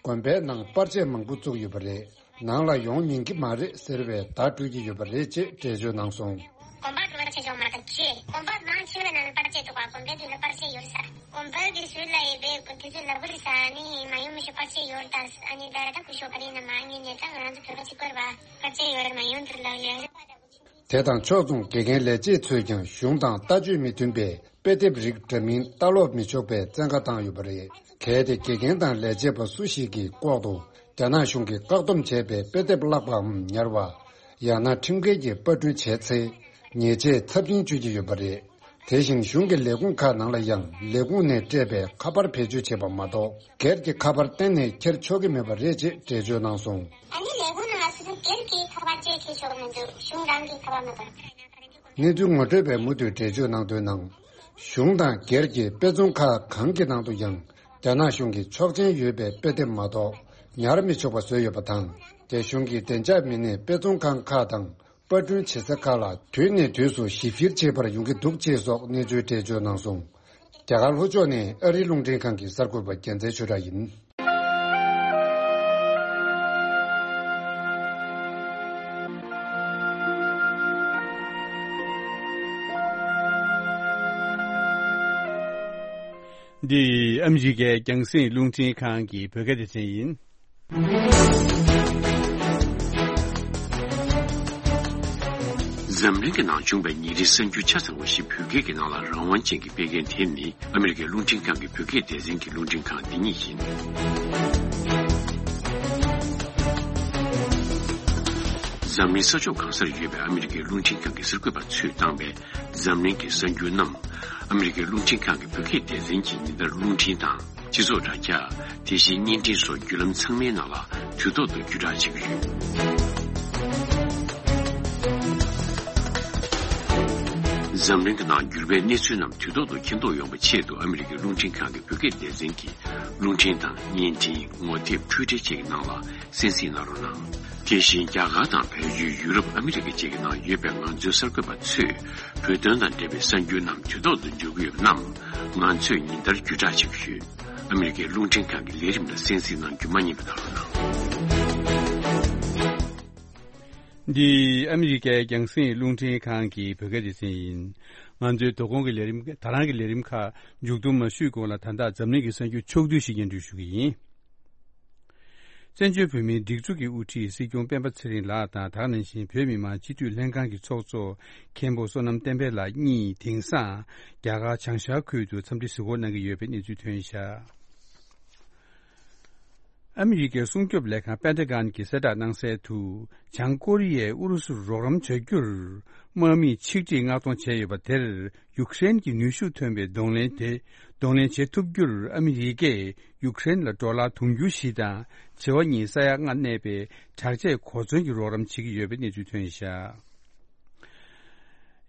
དགོན་པའི་ནང་པར་ཆས་མང་པོ་བཙུགས་ཡོད་པ་རེད། ནང་ལ་ཡོང་ཉན་གྱི་མ་རེད་ཟེར་བའི་བརྡ་སྤྲོད་ཀྱི་ཡོད་པ་རེད་ཅེས་འགྲེལ་བརྗོད་གནང་སོང་། དགོན་པར་པར་ཆས་འཇོག་མ་ཐག་ཆོད། དགོན་པ་མང་ཆེ་བའི་ནང་ལ་པར་ཆས་འདུག་ག་དགོན་པའི་མདུན་ལ་པར་ཆས་ཡོད་ས། དགོན་པའི་ དེ་ཚོའི་ལ་ཡི་བེ་དེ་ཚོའི་ལ་བུ་རི་ས་ནི་མ་ཡོང་མི་ཤོག་པར་ཆས་ཡོད་ད། ཨ་ནི་ད་ར་ད་ཀུ་ཤོག་ག་རེ་ན་མ་ངེ་ཉེ་ད་ང་རང་ཚོ་བོད་པ་གཅིག་པར་བ་པར་ཆས་ཡོད་མ་ཡོང་དུ་ལ་ཡོད། དེ་དང་ཕྱོགས་མཚུངས་དགེ་རྒན་ལས་བྱེད་ཚོས་ཀྱང་གཞུང་དང་ལྟ་སྤྱོད་མི་མཐུན་པའི་དཔེ་དེབ་རིགས་འདྲ་མིན་ལྟ་ཀློག་མི་ཆོག་པའི་བཙན་བཀའ་བཏང་ཡོད་པ་རེད། གལ་ཏེ་དགེ་རྒན་དང་ལས་བྱེད་པ་སུ་ཞིག་གིས་ལྐོག་ཏུ་རྒྱ་ནག་གཞུང་གིས་བཀག་སྡོམ་བྱས་པའི་དཔེ་དེབ་བཀླགས་པའམ་ཉར་བ། ཡང་ན་ཁྲིམས་འགལ་གྱི་པར་སྐྲུན་བྱས་ཚེ། ཉེས་ཆད་ཚབས་ཆེན་གཅོད་ཀྱི་ཡོད་པ་རེད། དེ་བཞིན་གཞུང་གི་ལས་ཁུངས་ཁག་ནང་ལ་ཡང་ལས་ཁུངས་ནས་སྤྲད་པའི་ཁ་པར་བེད་སྤྱོད་བྱེད་པ་མ་གཏོགས། སྒེར་གྱི་ཁ་པར་གཏན་ནས་འཁྱེར་ཆོག་གི་མེད་པ་རེད་ཅེས་འགྲེལ་བརྗོད་གནང་སོང་། ཨ་ནི་ལས་ཁུངས་ནང་ལ་སོ་སོ་སྒེར་གྱི་ཁ་པར་ཅེས་འཁྱེར་ཆོག་གི་མི་འདུག་གཞུང་རང་གི་ཁ་པར་མ་གཏོགས། གནས་ཚུལ་ངོ་སྤྲོད་པས་མུ་མཐུད་འགྲེལ་བརྗོད་གནང་དོན་ནང་། གཞུང་དང་སྒེར་གྱི་དཔེ་ཚོང་ཁག་གང་གི་ནང་དུ་ཡང་རྒྱ་ནག་གཞུང་གིས་ཆོག་མཆན་ཡོད་པའི་དཔེ་དེབ་མ་གཏོགས་ཉར་མི་ཆོག་པ་བཟོས་ཡོད་པ་དང་། རྒྱ་གཞུང་གིས་བདེ་འཇགས་མི་སྣས་དཔེ་ཚོང་ཁང་ཁག་དང་པར་སྐྲུན་བྱེད་ས་ཁག་ལ་དུས་ནས་དུས་སུ་ཞིབ་བཤེར་བྱེད་པར་ཡོང་གི་འདུག་ཅེས་སོགས་གནས་ཚུལ་འགྲེལ་བརྗོད་གནང་སོང་། རྒྱ་གར་ལྷོ་ཕྱོགས་ནས་ཨ་རིའི་རླུང་འཕྲིན་ཁང་གི་གསར་འགོད་པ་རྒྱལ་མཚན་ཆོས་གྲགས་ཡིན། འདི་ཨ་མི་རི་ཀའི་རྒྱང་སྲིང་རླུང་འཕྲིན་ཁང་གི་བོད་སྐད་སྡེ་ཚན་ཡིན། འཛམ་གླིང་གི་ནང་བྱུང་བའི་ཉིན་རེའི་གསར་འགྱུར་ཆ་ཚང་བ་ཞིག་བོད་སྐད་ཀྱི་ནང་ལ་རང་དབང་ཅན་གྱིས་སྤེལ་མཁན་དེ་ནི་ཨ་མི་རི་ཀའི་རླུང་འཕྲིན་ཁང་གི་བོད་སྐད་སྡེ་ཚན་གྱི་རླུང་འཕྲིན་ཁང་འདི་ཉིད་ཡིན། འཛམ་གླིང་ས་ཕྱོགས་གང་སར་ཡོད་པའི་ཨ་མི་རི་ཀའི་རླུང་འཕྲིན་ཁང་གི་གསར་འགོད་པ་ཚོས་བཏང་པའི་འཛམ་གླིང་གི་གསར་འགྱུར་རྣམས། ཨ་མི་རི་ཀའི་རླུང་འཕྲིན་ཁང་གི་བོད་སྐད་སྡེ་ཚན་གྱི་ཉིན་ལྟར་རླུང་འཕྲིན་དང་། སྤྱི་ཚོགས་དྲ་རྒྱ། དེ་བཞིན་བརྙན་འཕྲིན་སོགས་བརྒྱུད་ལམ་ཚང་མའི་ནང་ལ་དུས་ཐོག་ཏུ་བརྒྱུད་བསྒྲགས་བྱེད་ཀྱི་ཡོད། འཛམ་གླིང་གི་ནང་འགྱུར་བའི་གནས་ཚུལ་རྣམས་དུས་ཐོག་ཏུ་མཁྱེན་རྟོགས་ཡོང་བའི་ཆེད་དུ་ཨ་མི་རི་ཀའི་རླུང་འཕྲིན་ཁང་གི་བོད་སྐད་སྡེ་ཚན་གྱི་རླུང་འཕྲིན་དང་བརྙན་འཕྲིན། ངོ་དེབ། འཕྲུལ་འཕྲིན་བཅས་ཀྱི་ནང་ལ་གསན་གཟིགས་གནང་རོགས་གནང་། དེ་བཞིན་རྒྱ་གར་དང་བལ་ཡུལ། ཡུ་རོབ། ཨ་མི་རི་ཀ་བཅས་ཀྱི་ནང་ཡོད་པའི་ང་ཚོའི་གསར་འགོད་པ་ཚོས་བོད་དོན་དང་འབྲེལ་བའི་གསར་འགྱུར་རྣམས་དུས་ཐོག་ཏུ་འབྱོར་གྱི་ཡོད་པ་རྣམས་ང་ཚོས་ཉིན་ལྟར་བརྒྱུད་བསྒྲགས་བྱེད་ཀྱི་ཡོད། ཨ་མི་རི་ཀའི་རླུང་འཕྲིན་ཁང་གི་ལས་རིམ་ལ་གསན་གཟིགས་གནང་རྒྱུ་མ་བསྙེལ་བ་གནང་རོགས་གནང་། འདི་ཨ་མི་རི་ཀའི་རྒྱང་སྲིང་རླུང་འཕྲིན་ཁང་གི་བོད་སྐད་སྡེ་ཚན་ཡིན། ང་ཚོའི་དོ་དགོང་གི་ལས་རིམ། ད་རང་གི་ལས་རིམ་ཁག་མཇུག་བསྡོམས་མ་ཞུས་གོང་ལ། ད་ལྟ་འཛམ་གླིང་གི་གསར་འགྱུར་ཕྱོགས་བསྡུས་ཤིག་སྙན་སྒྲོན་ཞུ་གི་ཡིན། བཙན་བྱོལ་བོད་མིའི་སྒྲིག་འཛུགས་ཀྱི་དབུ་ཁྲིད་སྲིད་སྐྱོང་སྤེན་པ་ཚེ་རིང་ལགས་དང་། དེ་ག་ནང་བཞིན་བོད་མི་མང་སྤྱི་འཐུས་ལྷན་ཁང་གི་ཚོགས་གཙོ་མཁན་པོ་བསོད་ནམས་བསྟན་འཕེལ་ལགས་གཉིས་དེང་སང་རྒྱ་གར་བྱང་ཤར་ཁུལ་དུ་འཚམས་འདྲི་གཟིགས་སྐོར་གནང་གི་ཡོད་པའི་གནས་ཚུལ་ཐོན་བཞག་ཨ་མི་རི་ཀའི་སྲུང་སྐྱོབ་ལས་ཁང་པེན་ཏ་གོན་གྱིས་གསལ་བསྒྲགས་གནང་གསལ་དུ། བྱང་ཀོ་རི་ཡས་ཨུ་རུ་སུར་རོགས་རམ་བྱ་རྒྱུར་དམག་མིས་ཆིག་སྒྲིལ་མངགས་གཏོང་བྱས་ཡོད་པ་དེར། ཡུཀ་རེན་གྱིས་ནུས་ཤུགས་ཐོན་པའི་གདོང་ལེན་དེ། གདོང་ལེན་བྱེད་ཐུབ་རྒྱུར་ཨ་མི་རི་ཀས་ཡུཀ་རེན་ལ་ཌོ་ལར་དུང་ཕྱུར་བཞི་དང་བྱེ་བ་གཉིས་ས་ཡ་ལྔ་གནས་པའི་དྲག་ཆས་གོ་མཚོན་གྱི་རོགས་རམ་བྱེད་ཀྱི་ཡོད་པའི་གནས་ཚུལ་ཐོན་བཞག་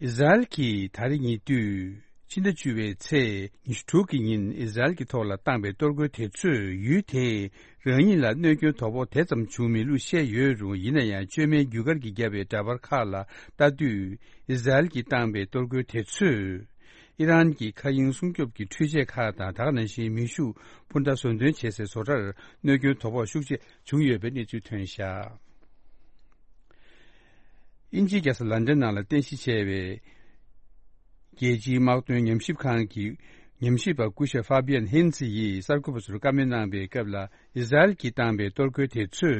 ཨི་ཟ་རེལ་གྱིས་ད་རེས་ཉེ་དུས་ཕྱི་ཟླ་བཅུ་པའི་ཚེས་ཉི་ཤུ་དྲུག་གི་ཉིན་ཨི་ཟ་རེལ་གྱི་ཐོག་ལ་བཏང་པའི་གཏོར་རྒོལ་དེ་ཚོས་ཡུལ་དེའི་རང་ཉིད་ལ་གནོད་སྐྱོན་དོ་ཕོག་དེ་ཙམ་བྱུང་མེད་ལུགས་བཤད་ཡོད་རུང་། ཡིན་ན་ཡང་བཅོས་མའི་རྒྱུ་སྐར་གྱིས་བརྒྱབ་པའི་འདྲ་པར་ཁག་ལ་ལྟ་དུས། ཨི་ཟ་རེལ་གྱིས་བཏང་པའི་གཏོར་རྒོལ་དེ་ཚོས་ཨི་རན་གྱི་མཁའ་དབྱིངས་སྲུང་སྐྱོབ་ཀྱི་འཕྲུལ་ཆས་ཁག་དང་། དེ་ག་ནང་བཞིན་མེ་ཤུགས་འཕུར་མདའ་བཟོ་འདོན་བྱེད་སའི་བཟོ་གྲྭར་གནོད་སྐྱོན་དོ་ཕོག་ཤུགས་ཆེ་བྱུང་ཡོད་པའི་གནས་ཚུལ་ཐོན་བཞག་དབྱིན་ཇིའི་རྒྱལ་ས་ལན་ཌན་ནང་ལ་རྟེན་གཞི་བྱས་པའི་རྒྱལ་སྤྱིའི་དམག་དོན་ཉམས་ཞིབ་ཁང་གི་ཉམས་ཞིབ་པ་སྐུ་ཞབས་ཧྥ་བྷི་ཡན་ཧིན་ཛི་ཡིས་གསར་འགོད་པ་ཚོར་བཀའ་མོལ་གནང་པའི་སྐབས་ལ། ཨི་ཟ་རེལ་གྱིས་བཏང་པའི་གཏོར་རྒོལ་དེ་ཚོས་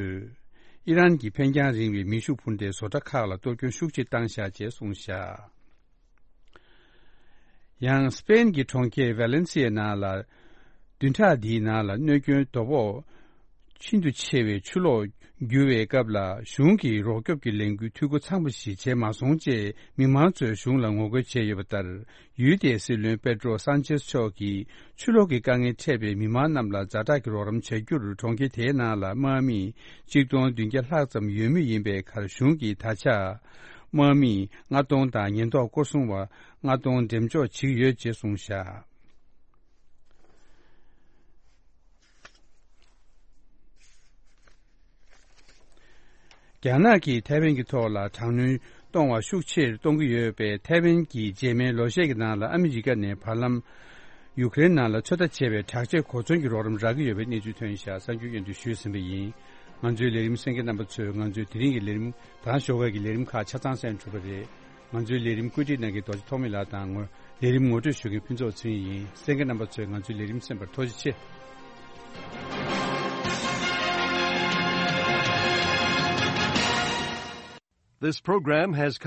ཨི་རན་གྱི་འཕེན་རྒྱང་རིང་བའི་མེ་ཤུགས་འཕུར་མདའི་བཟོ་གྲྭ་ཁག་ལ་གཏོར་སྐྱོན་ཤུགས་ཆེ་བཏང་བཞག་ཅེས་གསུངས་བཞག་ཡང་སི་པེན་གྱི་གྲོང་ཁྱེར་ཝེ་ལེན་སི་ཡའི་ནང་ལ། བདུན་ཕྲག་འདིའི་ནང་ལ་གནོད་སྐྱོན་དོ་ཕོག་ཤིན་ཏུ་ཆེ་བའི་ཆུ་ལོག་རྒྱུ་བའི་སྐབས་ལ། གཞུང་གིས་རོགས་སྐྱོབ་ཀྱི་ལས་འགུལ་འཐུས་སྒོ་ཚང་བ་ཞིག་བྱས་མ་སོང་ཅེས་མི་མང་ཚོས་གཞུང་ལ་ངོ་རྒོལ་བྱས་ཡོད་པ་ལྟར། ཡུལ་དེའི་སྲིད་བློན་པེ་ཏྲོ་སན་ཆེས་མཆོག་གིས་ཆུ་ལོག་གི་དཀའ་ངལ་འཕྲད་པའི་མི་མང་རྣམས་ལ་ཛ་དྲག་གི་རོགས་རམ་བྱ་རྒྱུར། གྲོང་ཁྱེར་དེའི་ནང་ལ་དམག་མི་གཅིག་སྟོང་བདུན་བརྒྱ་ལྷག་ཙམ་ཡོད་མུས་ཡིན་པའི་ཁར། གཞུང་གིས་ད་ཆ་དམག་མི་ལྔ་སྟོང་དང་ཉེན་རྟོག་སྐོར་སྲུང་བ་ལྔ་སྟོང་འགྲེམས་འཇོག་བྱེད་ཀྱི་ཡོད་ཅེས་གསུངས་བཞག་རྒྱ་ནག་གིས་ཐའེ་ཝན་གྱི་ཐོག་ལ་དྲག་གནོན་གཏོང་བ་ཤུགས་ཆེར་གཏོང་གི་ཡོད་པའི་ཐའེ་ཝན་གྱི་རྗེས་མའི་ལོ་ཤས་ཀྱི་ནང་ལ། ཨ་མི་རི་ཀ་ནས་བར་ལམ་ཡུཀ་རེན་ནང་ལ་ཚོད་ལྟ་བྱས་པའི་དྲག་ཆས་གོ་མཚོན་གྱི་རོགས་རམ་རག་གི་ཡོད་པའི་གནས་ཚུལ་ཐོན་བཞག་གསར་འགྱུར་སྙན་སྒྲོན་ཞུས་ཟིན་པ་ཡིན། ང་ཚོའི་ལས་རིམ་གསན་མཁན་རྣམ་པ་ཚོས་ང་ཚོའི་དེ་རིང་གི་ལས་རིམ་དང་ཞོགས་ཀའི་ལས་རིམ་ཁག་ཆ་ཚང་གསན་གྲུབ་པ་རེད། ང་ཚོའི་ལས་རིམ་བཀོད་སྒྲིག་གནང་མཁན་རྡོ་རྗེ་ཐོགས་མེད་ལགས་དང་། ངོ་ ལས་རིམ་ངོ་སྤྲོད་ཞུ་མཁན་ཕུན་ཚོགས་ཚེ་རིང་ཡིན། གསན་མཁན་རྣམ་པ་ཚོས་ང་ཚོའི་ལས་རིམ་གསན་པར་ཐུགས་རྗེ་ཆེ། This program has